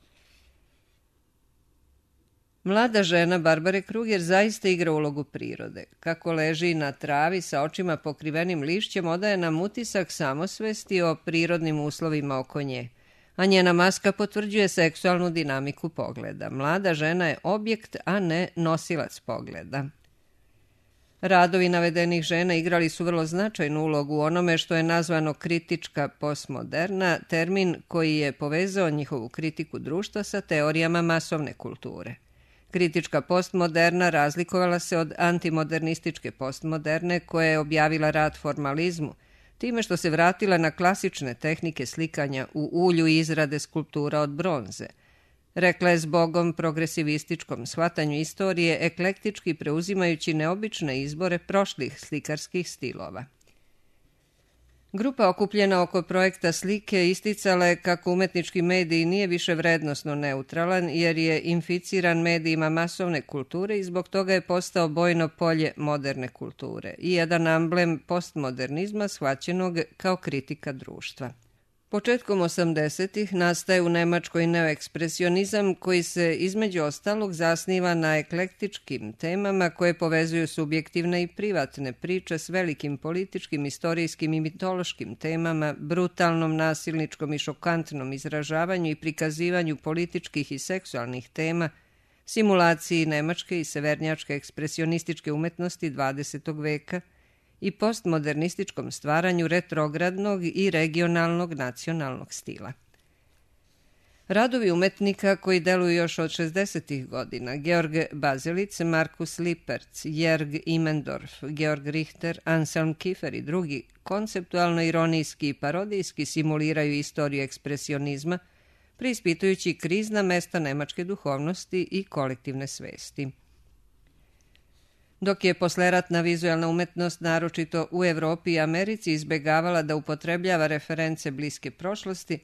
Mlada žena Barbare Kruger zaista igra ulogu prirode. Kako leži na travi sa očima pokrivenim lišćem, odaje nam utisak samosvesti o prirodnim uslovima oko nje, a njena maska potvrđuje seksualnu dinamiku pogleda. Mlada žena je objekt, a ne nosilac pogleda. Radovi navedenih žena igrali su vrlo značajnu ulogu u onome što je nazvano kritička postmoderna, termin koji je povezao njihovu kritiku društva sa teorijama masovne kulture. Kritička postmoderna razlikovala se od antimodernističke postmoderne koja je objavila rat formalizmu, time što se vratila na klasične tehnike slikanja u ulju i izrade skulptura od bronze. Rekla je zbogom progresivističkom shvatanju istorije, eklektički preuzimajući neobične izbore prošlih slikarskih stilova. Grupa okupljena oko projekta slike isticala je kako umetnički medij nije više vrednosno neutralan jer je inficiran medijima masovne kulture i zbog toga je postao bojno polje moderne kulture i jedan amblem postmodernizma shvaćenog kao kritika društva. Početkom osamdesetih nastaje u Nemačkoj neoekspresionizam koji se između ostalog zasniva na eklektičkim temama koje povezuju subjektivne i privatne priče s velikim političkim, istorijskim i mitološkim temama, brutalnom, nasilničkom i šokantnom izražavanju i prikazivanju političkih i seksualnih tema, simulaciji nemačke i severnjačke ekspresionističke umetnosti dvadesetog veka, i postmodernističkom stvaranju retrogradnog i regionalnog nacionalnog stila. Radovi umetnika koji deluju još od šezdesetih godina, Georg Bazelic, Markus Lipertz, Jörg Imendorf, Georg Richter, Anselm Kiefer i drugi, konceptualno ironijski i parodijski simuliraju istoriju ekspresionizma, preispitujući krizna mesta nemačke duhovnosti i kolektivne svesti. Dok je posleratna vizualna umetnost, naročito u Evropi i Americi, izbegavala da upotrebljava reference bliske prošlosti,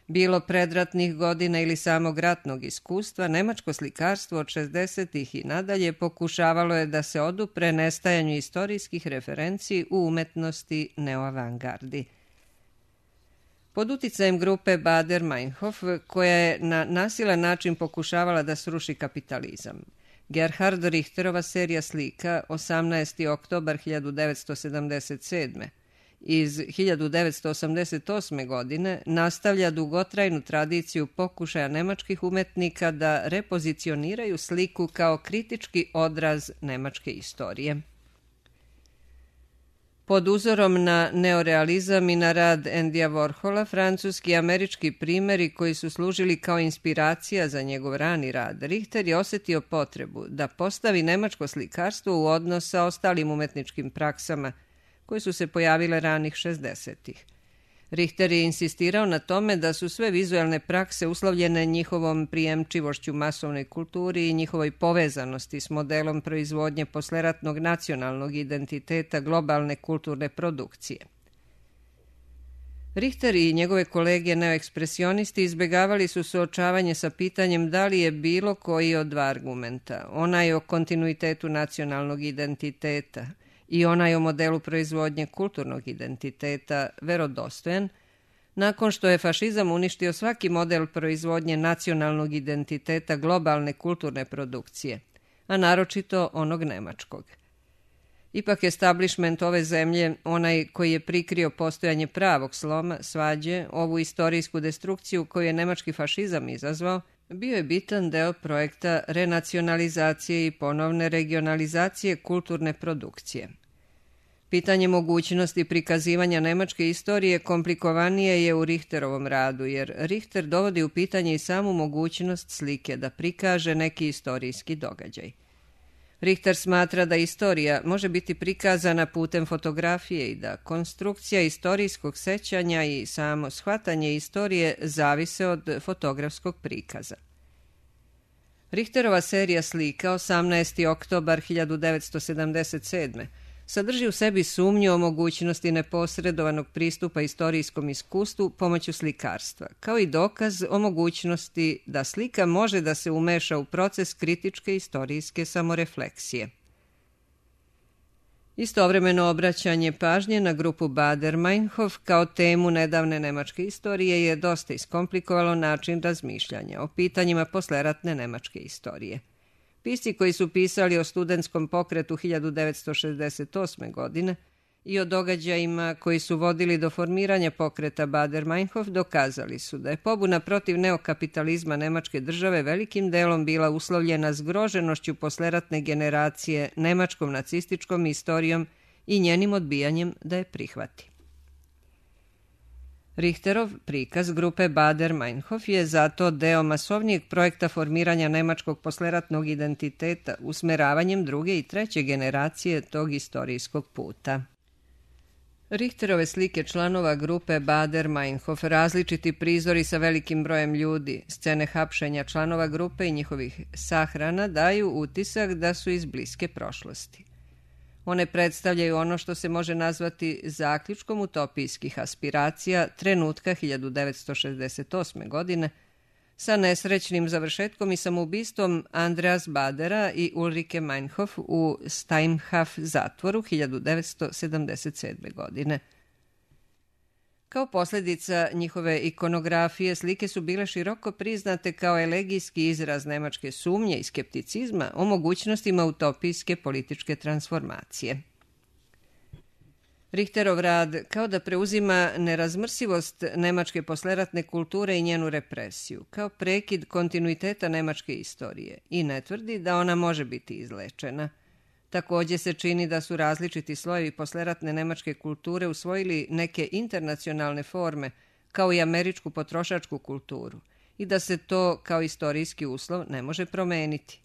bilo predratnih godina ili samog ratnog iskustva, nemačko slikarstvo od šezdesetih i nadalje pokušavalo je da se odupre nestajanju istorijskih referenci u umetnosti neoavangardi. Pod uticajem grupe Baader-Meinhof, koja je na nasilan način pokušavala da sruši kapitalizam, Gerhard Richterova serija slika osamnaesti oktobar hiljadu devetsto sedamdeset sedme iz hiljadu devetsto osamdeset osme. godine nastavlja dugotrajnu tradiciju pokušaja nemačkih umetnika da repozicioniraju sliku kao kritički odraz nemačke istorije. Pod uzorom na neorealizam i na rad Andyja Warhola, francuski i američki primjeri koji su služili kao inspiracija za njegov rani rad, Richter je osjetio potrebu da postavi nemačko slikarstvo u odnos sa ostalim umetničkim praksama koje su se pojavile ranih šezdesetih. Richter je insistirao na tome da su sve vizualne prakse uslovljene njihovom prijemčivošću masovnoj kulturi i njihovoj povezanosti s modelom proizvodnje posleratnog nacionalnog identiteta globalne kulturne produkcije. Richter i njegove kolege neoekspresionisti izbegavali su suočavanje sa pitanjem da li je bilo koji od dva argumenta, onaj o kontinuitetu nacionalnog identiteta i onaj o modelu proizvodnje kulturnog identiteta, verodostojan, nakon što je fašizam uništio svaki model proizvodnje nacionalnog identiteta globalne kulturne produkcije, a naročito onog nemačkog. Ipak establishment ove zemlje, onaj koji je prikrio postojanje pravog sloma, svađe, ovu istorijsku destrukciju koju je nemački fašizam izazvao, bio je bitan deo projekta renacionalizacije i ponovne regionalizacije kulturne produkcije. Pitanje mogućnosti prikazivanja nemačke istorije komplikovanije je u Richterovom radu, jer Richter dovodi u pitanje i samu mogućnost slike da prikaže neki istorijski događaj. Richter smatra da istorija može biti prikazana putem fotografije i da konstrukcija istorijskog sećanja i samo shvatanje istorije zavise od fotografskog prikaza. Richterova serija slika osamnaesti oktobar hiljadu devetsto sedamdeset sedme. sadrži u sebi sumnju o mogućnosti neposredovanog pristupa istorijskom iskustvu pomoću slikarstva, kao i dokaz o mogućnosti da slika može da se umeša u proces kritičke istorijske samorefleksije. Istovremeno obraćanje pažnje na grupu Baader-Meinhof kao temu nedavne nemačke istorije je dosta iskomplikovalo način razmišljanja o pitanjima posleratne nemačke istorije. Pisci koji su pisali o studentskom pokretu hiljadu devetsto šezdeset osme. godine i o događajima koji su vodili do formiranja pokreta Baader-Meinhof dokazali su da je pobuna protiv neokapitalizma nemačke države velikim delom bila uslovljena zgroženošću posleratne generacije nemačkom nacističkom istorijom i njenim odbijanjem da je prihvati. Richterov prikaz grupe Baader-Meinhof je zato deo masovnijeg projekta formiranja nemačkog posleratnog identiteta usmeravanjem druge i treće generacije tog istorijskog puta. Richterove slike članova grupe Baader-Meinhof, različiti prizori sa velikim brojem ljudi, scene hapšenja članova grupe i njihovih sahrana daju utisak da su iz bliske prošlosti. One predstavljaju ono što se može nazvati zaključkom utopijskih aspiracija trenutka hiljadu devetsto šezdeset osme. godine sa nesrećnim završetkom i samoubistvom Andreas Badera i Ulrike Meinhof u Steinhof zatvoru hiljadu devetsto sedamdeset sedme. godine. Kao posljedica njihove ikonografije, slike su bile široko priznate kao elegijski izraz nemačke sumnje i skepticizma o mogućnostima utopijske političke transformacije. Richterov rad kao da preuzima nerazmrsivost nemačke posleratne kulture i njenu represiju, kao prekid kontinuiteta nemačke istorije i ne tvrdi da ona može biti izlečena. Također se čini da su različiti slojevi posleratne nemačke kulture usvojili neke internacionalne forme, kao i američku potrošačku kulturu, i da se to kao istorijski uslov ne može promeniti.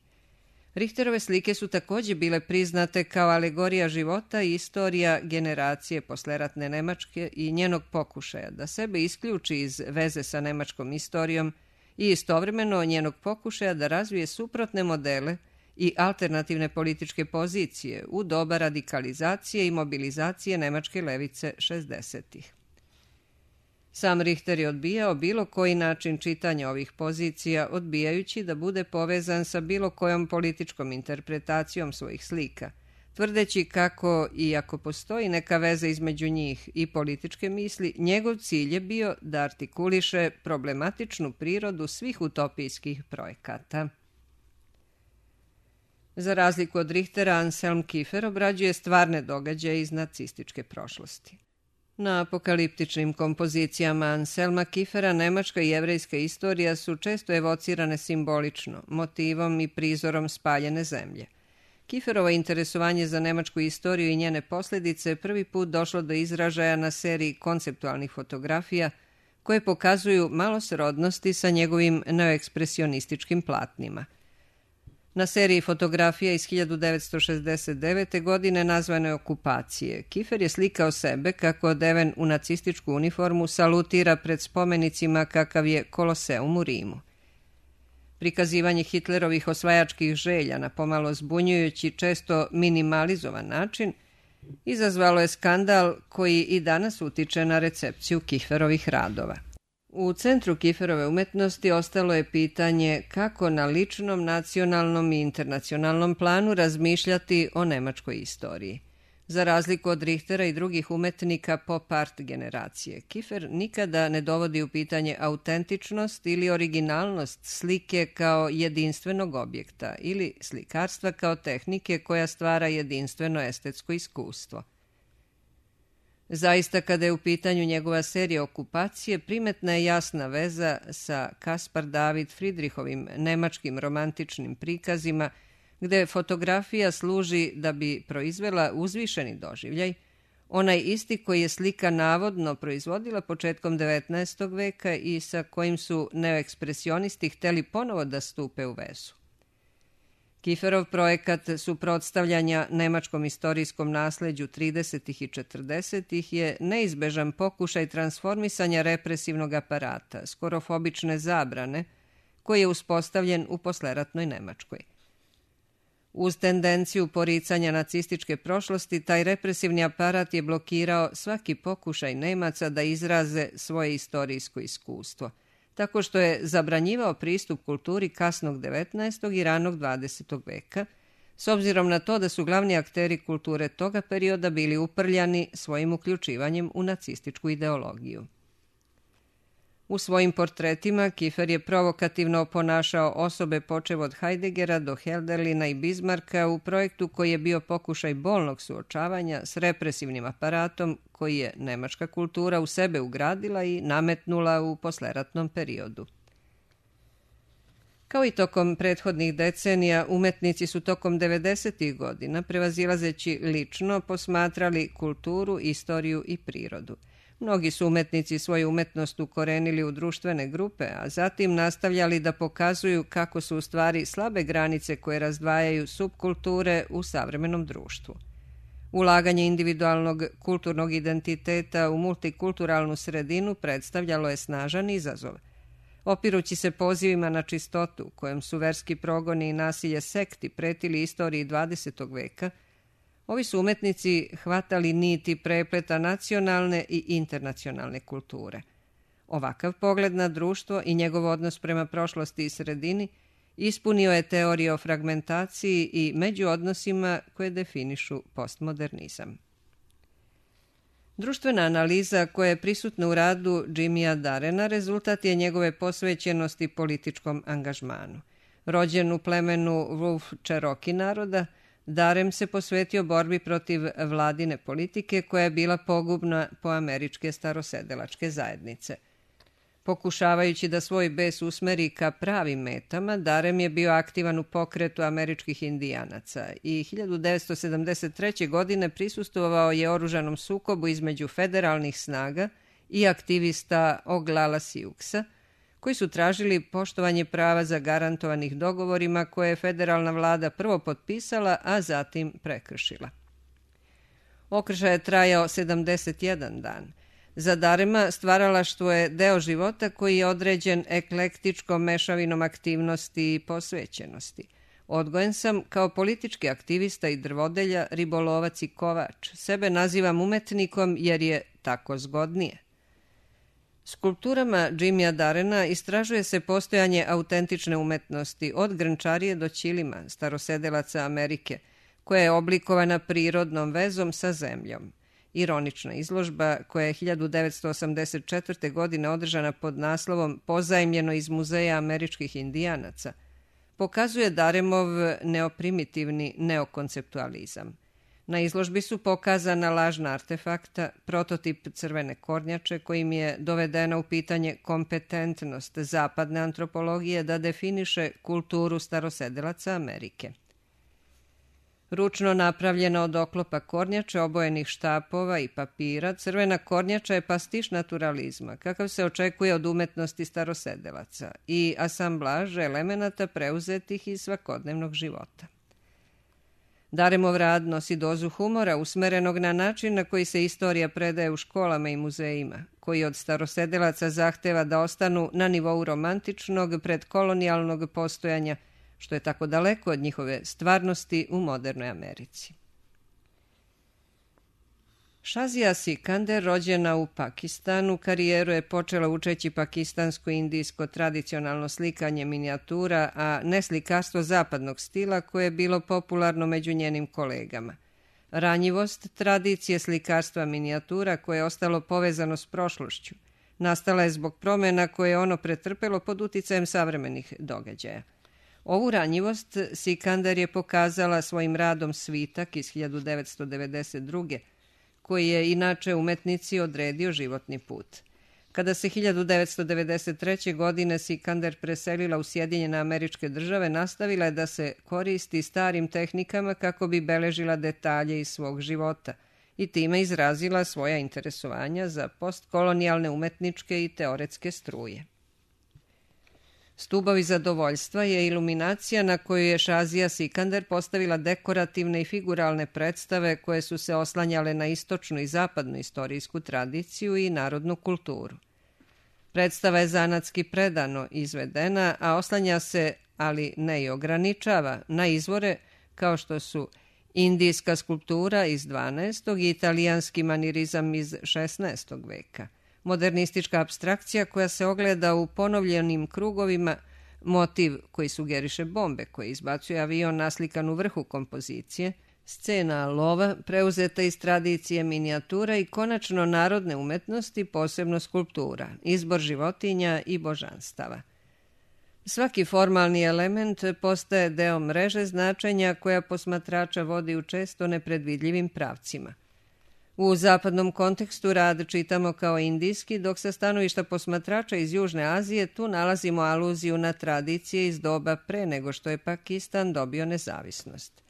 Richterove slike su također bile priznate kao alegorija života i istorija generacije posleratne Nemačke i njenog pokušaja da sebe isključi iz veze sa nemačkom istorijom i istovremeno njenog pokušaja da razvije suprotne modele i alternativne političke pozicije u doba radikalizacije i mobilizacije nemačke levice šezdesetih. Sam Richter je odbijao bilo koji način čitanja ovih pozicija, odbijajući da bude povezan sa bilo kojom političkom interpretacijom svojih slika, tvrdeći kako, iako postoji neka veza između njih i političke misli, njegov cilj je bio da artikuliše problematičnu prirodu svih utopijskih projekata. Za razliku od Richtera, Anselm Kiefer obrađuje stvarne događaje iz nacističke prošlosti. Na apokaliptičnim kompozicijama Anselma Kiefera nemačka i jevrejska istorija su često evocirane simbolično, motivom i prizorom spaljene zemlje. Kieferovo interesovanje za nemačku istoriju i njene posljedice prvi put došlo do izražaja na seriji konceptualnih fotografija koje pokazuju malo srodnosti sa njegovim neoekspresionističkim platnima. Na seriji fotografija iz hiljadu devetsto šezdeset devete. godine nazvane Okupacije, Kiefer je slikao sebe kako odeven u nacističku uniformu salutira pred spomenicima kakav je Koloseum u Rimu. Prikazivanje Hitlerovih osvajačkih želja na pomalo zbunjujući, često minimalizovan način izazvalo je skandal koji i danas utiče na recepciju Kieferovih radova. U centru Kieferove umetnosti ostalo je pitanje kako na ličnom, nacionalnom i internacionalnom planu razmišljati o nemačkoj istoriji. Za razliku od Richtera i drugih umetnika pop art generacije, Kiefer nikada ne dovodi u pitanje autentičnost ili originalnost slike kao jedinstvenog objekta ili slikarstva kao tehnike koja stvara jedinstveno estetsko iskustvo. Zaista, kada je u pitanju njegova serija Okupacije, primetna je jasna veza sa Caspar David Friedrichovim nemačkim romantičnim prikazima, gde fotografija služi da bi proizvela uzvišeni doživljaj, onaj isti koji je slika navodno proizvodila početkom devetnaestog veka i sa kojim su neoekspresionisti hteli ponovo da stupe u vezu. Kieferov projekat suprotstavljanja nemačkom istorijskom nasleđu tridesetih i četrdesetih je neizbežan pokušaj transformisanja represivnog aparata, skorofobične zabrane, koji je uspostavljen u posleratnoj Nemačkoj. Uz tendenciju poricanja nacističke prošlosti, taj represivni aparat je blokirao svaki pokušaj Nemaca da izraze svoje istorijsko iskustvo, tako što je zabranjivao pristup kulturi kasnog devetnaestog i ranog dvadesetog veka, s obzirom na to da su glavni akteri kulture toga perioda bili uprljani svojim uključivanjem u nacističku ideologiju. U svojim portretima Kiefer je provokativno oponašao osobe počev od Heideggera do Hölderlina i Bismarcka u projektu koji je bio pokušaj bolnog suočavanja s represivnim aparatom koji je nemačka kultura u sebe ugradila i nametnula u posleratnom periodu. Kao i tokom prethodnih decenija, umetnici su tokom devedesetih godina, prevazilazeći lično, posmatrali kulturu, istoriju i prirodu. Mnogi su umetnici svoju umetnost ukorenili u društvene grupe, a zatim nastavljali da pokazuju kako su u stvari slabe granice koje razdvajaju subkulture u savremenom društvu. Ulaganje individualnog kulturnog identiteta u multikulturalnu sredinu predstavljalo je snažan izazov. Opirući se pozivima na čistotu, kojem su verski progoni i nasilje sekti pretili istoriji dvadesetog veka, ovi su umetnici hvatali niti prepleta nacionalne i internacionalne kulture. Ovakav pogled na društvo i njegov odnos prema prošlosti i sredini ispunio je teorije o fragmentaciji i međuodnosima koje definišu postmodernizam. Društvena analiza koja je prisutna u radu Jimija Darena rezultat je njegove posvećenosti političkom angažmanu. Rođen u plemenu Wolf Cherokee naroda, Darem se posvetio borbi protiv vladine politike koja je bila pogubna po američke starosedelačke zajednice. Pokušavajući da svoj bes usmeri ka pravim metama, Darem je bio aktivan u pokretu američkih indijanaca i hiljadu devetsto sedamdeset treće. godine prisustvovao je oružanom sukobu između federalnih snaga i aktivista Oglala Siuksa, koji su tražili poštovanje prava zagarantovanih dogovorima koje je federalna vlada prvo potpisala, a zatim prekršila. Okršaj je trajao sedamdeset jedan dan. Za Darema stvaralaštvo je deo života koji je određen eklektičkom mešavinom aktivnosti i posvećenosti. Odgojen sam kao politički aktivista i drvodelja, ribolovac i kovač. Sebe nazivam umetnikom jer je tako zgodnije. Skulpturama Jimija Darena istražuje se postojanje autentične umetnosti od grnčarije do ćilima, starosedelaca Amerike, koja je oblikovana prirodnom vezom sa zemljom. Ironična izložba, koja je hiljadu devetsto osamdeset četvrte. godine održana pod naslovom Pozajmljeno iz Muzeja američkih indijanaca, pokazuje Daremov neoprimitivni neokonceptualizam. Na izložbi su pokazana lažna artefakta, prototip crvene kornjače kojim je dovedena u pitanje kompetentnost zapadne antropologije da definiše kulturu starosedelaca Amerike. Ručno napravljena od oklopa kornjače, obojenih štapova i papira, crvena kornjača je pastiš naturalizma, kakav se očekuje od umetnosti starosedelaca, i asamblaž elemenata preuzetih iz svakodnevnog života. Daremov rad nosi dozu humora usmerenog na način na koji se istorija predaje u školama i muzejima, koji od starosedelaca zahteva da ostanu na nivou romantičnog predkolonijalnog postojanja, što je tako daleko od njihove stvarnosti u modernoj Americi. Shazia Sikander, rođena u Pakistanu, karijeru je počela učeći pakistansko-indijsko tradicionalno slikanje minijatura, a ne slikarstvo zapadnog stila koje je bilo popularno među njenim kolegama. Ranjivost tradicije slikarstva minijatura koje je ostalo povezano s prošlošću nastala je zbog promjena koje je ono pretrpelo pod uticajem savremenih događaja. Ovu ranjivost Sikander je pokazala svojim radom Svitak iz hiljadu devetsto devedeset druge. koji je inače umetnici odredio životni put. Kada se hiljadu devetsto devedeset treće. godine Sikander preselila u Sjedinjene Američke Države, nastavila je da se koristi starim tehnikama kako bi beležila detalje iz svog života i time izrazila svoja interesovanja za postkolonijalne umetničke i teoretske struje. Stubovi zadovoljstva je iluminacija na koju je Shazia Sikander postavila dekorativne i figuralne predstave koje su se oslanjale na istočnu i zapadnu istorijsku tradiciju i narodnu kulturu. Predstava je zanatski predano izvedena, a oslanja se, ali ne i ograničava, na izvore kao što su indijska skulptura iz dvanaestog i italijanski manirizam iz šesnaestog veka, modernistička apstrakcija koja se ogleda u ponovljenim krugovima, motiv koji sugeriše bombe koje izbacuje avion naslikan u vrhu kompozicije, scena lova preuzeta iz tradicije minijatura i konačno narodne umetnosti, posebno skulptura, izbor životinja i božanstava. Svaki formalni element postaje deo mreže značenja koja posmatrača vodi u često nepredvidljivim pravcima. U zapadnom kontekstu rad čitamo kao indijski, dok sa stanovišta posmatrača iz Južne Azije tu nalazimo aluziju na tradicije iz doba pre nego što je Pakistan dobio nezavisnost.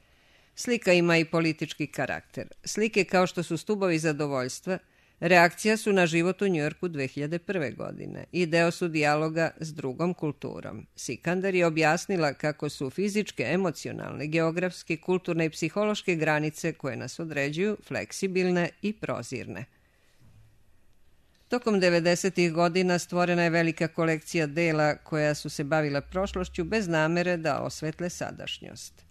Slika ima i politički karakter. Slike kao što su stubovi zadovoljstva, reakcija su na život u Njujorku dve hiljade prve. godine i deo su dijaloga s drugom kulturom. Sikander je objasnila kako su fizičke, emocionalne, geografske, kulturne i psihološke granice koje nas određuju fleksibilne i prozirne. Tokom devedesetih godina stvorena je velika kolekcija dela koja su se bavila prošlošću bez namere da osvetle sadašnjost.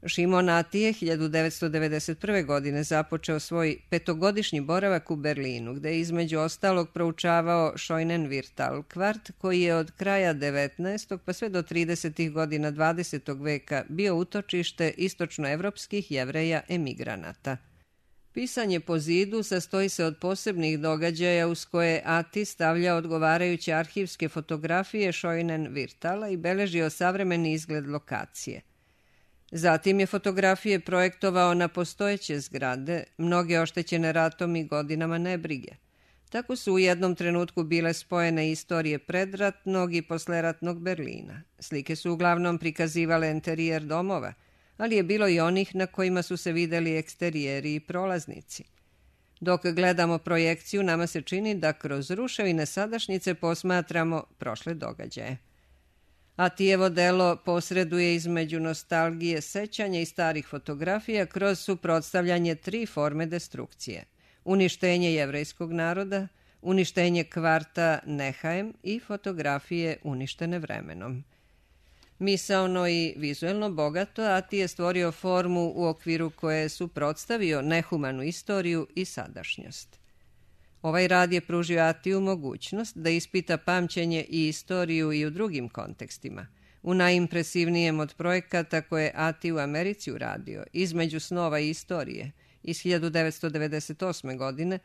Šimon Atije hiljadu devetsto devedeset prve. godine započeo svoj petogodišnji boravak u Berlinu, gde je između ostalog proučavao Scheunenwirthal kvart, koji je od kraja devetnaestog pa sve do tridesetih godina dvadesetog veka bio utočište istočnoevropskih Jevreja emigranata. Pisanje po zidu sastoji se od posebnih događaja uz koje Ati stavlja odgovarajuće arhivske fotografije Scheunenwirthala i beležio savremeni izgled lokacije. Zatim je fotografije projektovao na postojeće zgrade, mnoge oštećene ratom i godinama nebrige. Tako su u jednom trenutku bile spojene istorije predratnog i posleratnog Berlina. Slike su uglavnom prikazivale enterijer domova, ali je bilo i onih na kojima su se videli eksterijeri i prolaznici. Dok gledamo projekciju, nama se čini da kroz ruševine sadašnjice posmatramo prošle događaje. Atijevo delo posreduje između nostalgije, sećanja i starih fotografija kroz suprotstavljanje tri forme destrukcije. Uništenje jevrejskog naroda, uništenje kvarta Nehaem i fotografije uništene vremenom. Misaono i vizuelno bogato, Ati je stvorio formu u okviru koje je suprotstavio nehumanu istoriju i sadašnjost. Ovaj rad je pružio Atiju mogućnost da ispita pamćenje i istoriju i u drugim kontekstima. U najimpresivnijem od projekata koje je Ati u Americi uradio, Između snova i istorije, iz hiljadu devetsto devedeset osme. godine,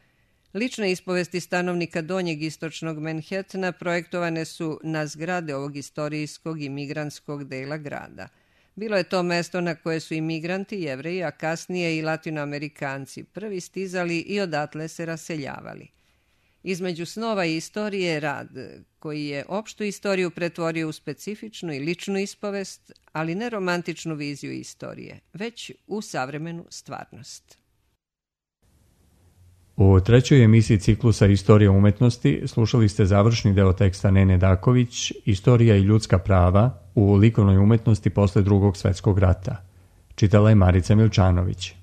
lične ispovesti stanovnika donjeg istočnog Manhattana projektovane su na zgrade ovog istorijskog i migrantskog dela grada. Bilo je to mesto na koje su imigranti, Jevreji, a kasnije i Latinoamerikanci prvi stizali i odatle se raseljavali. Između snova i istorije je rad koji je opštu istoriju pretvorio u specifičnu i ličnu ispovest, ali ne romantičnu viziju istorije, već u savremenu stvarnost. U trećoj emisiji ciklusa Istorija umetnosti slušali ste završni deo teksta Nene Daković, Istorija i ljudska prava u likovnoj umetnosti posle Drugog svetskog rata. Čitala je Marica Milčanović.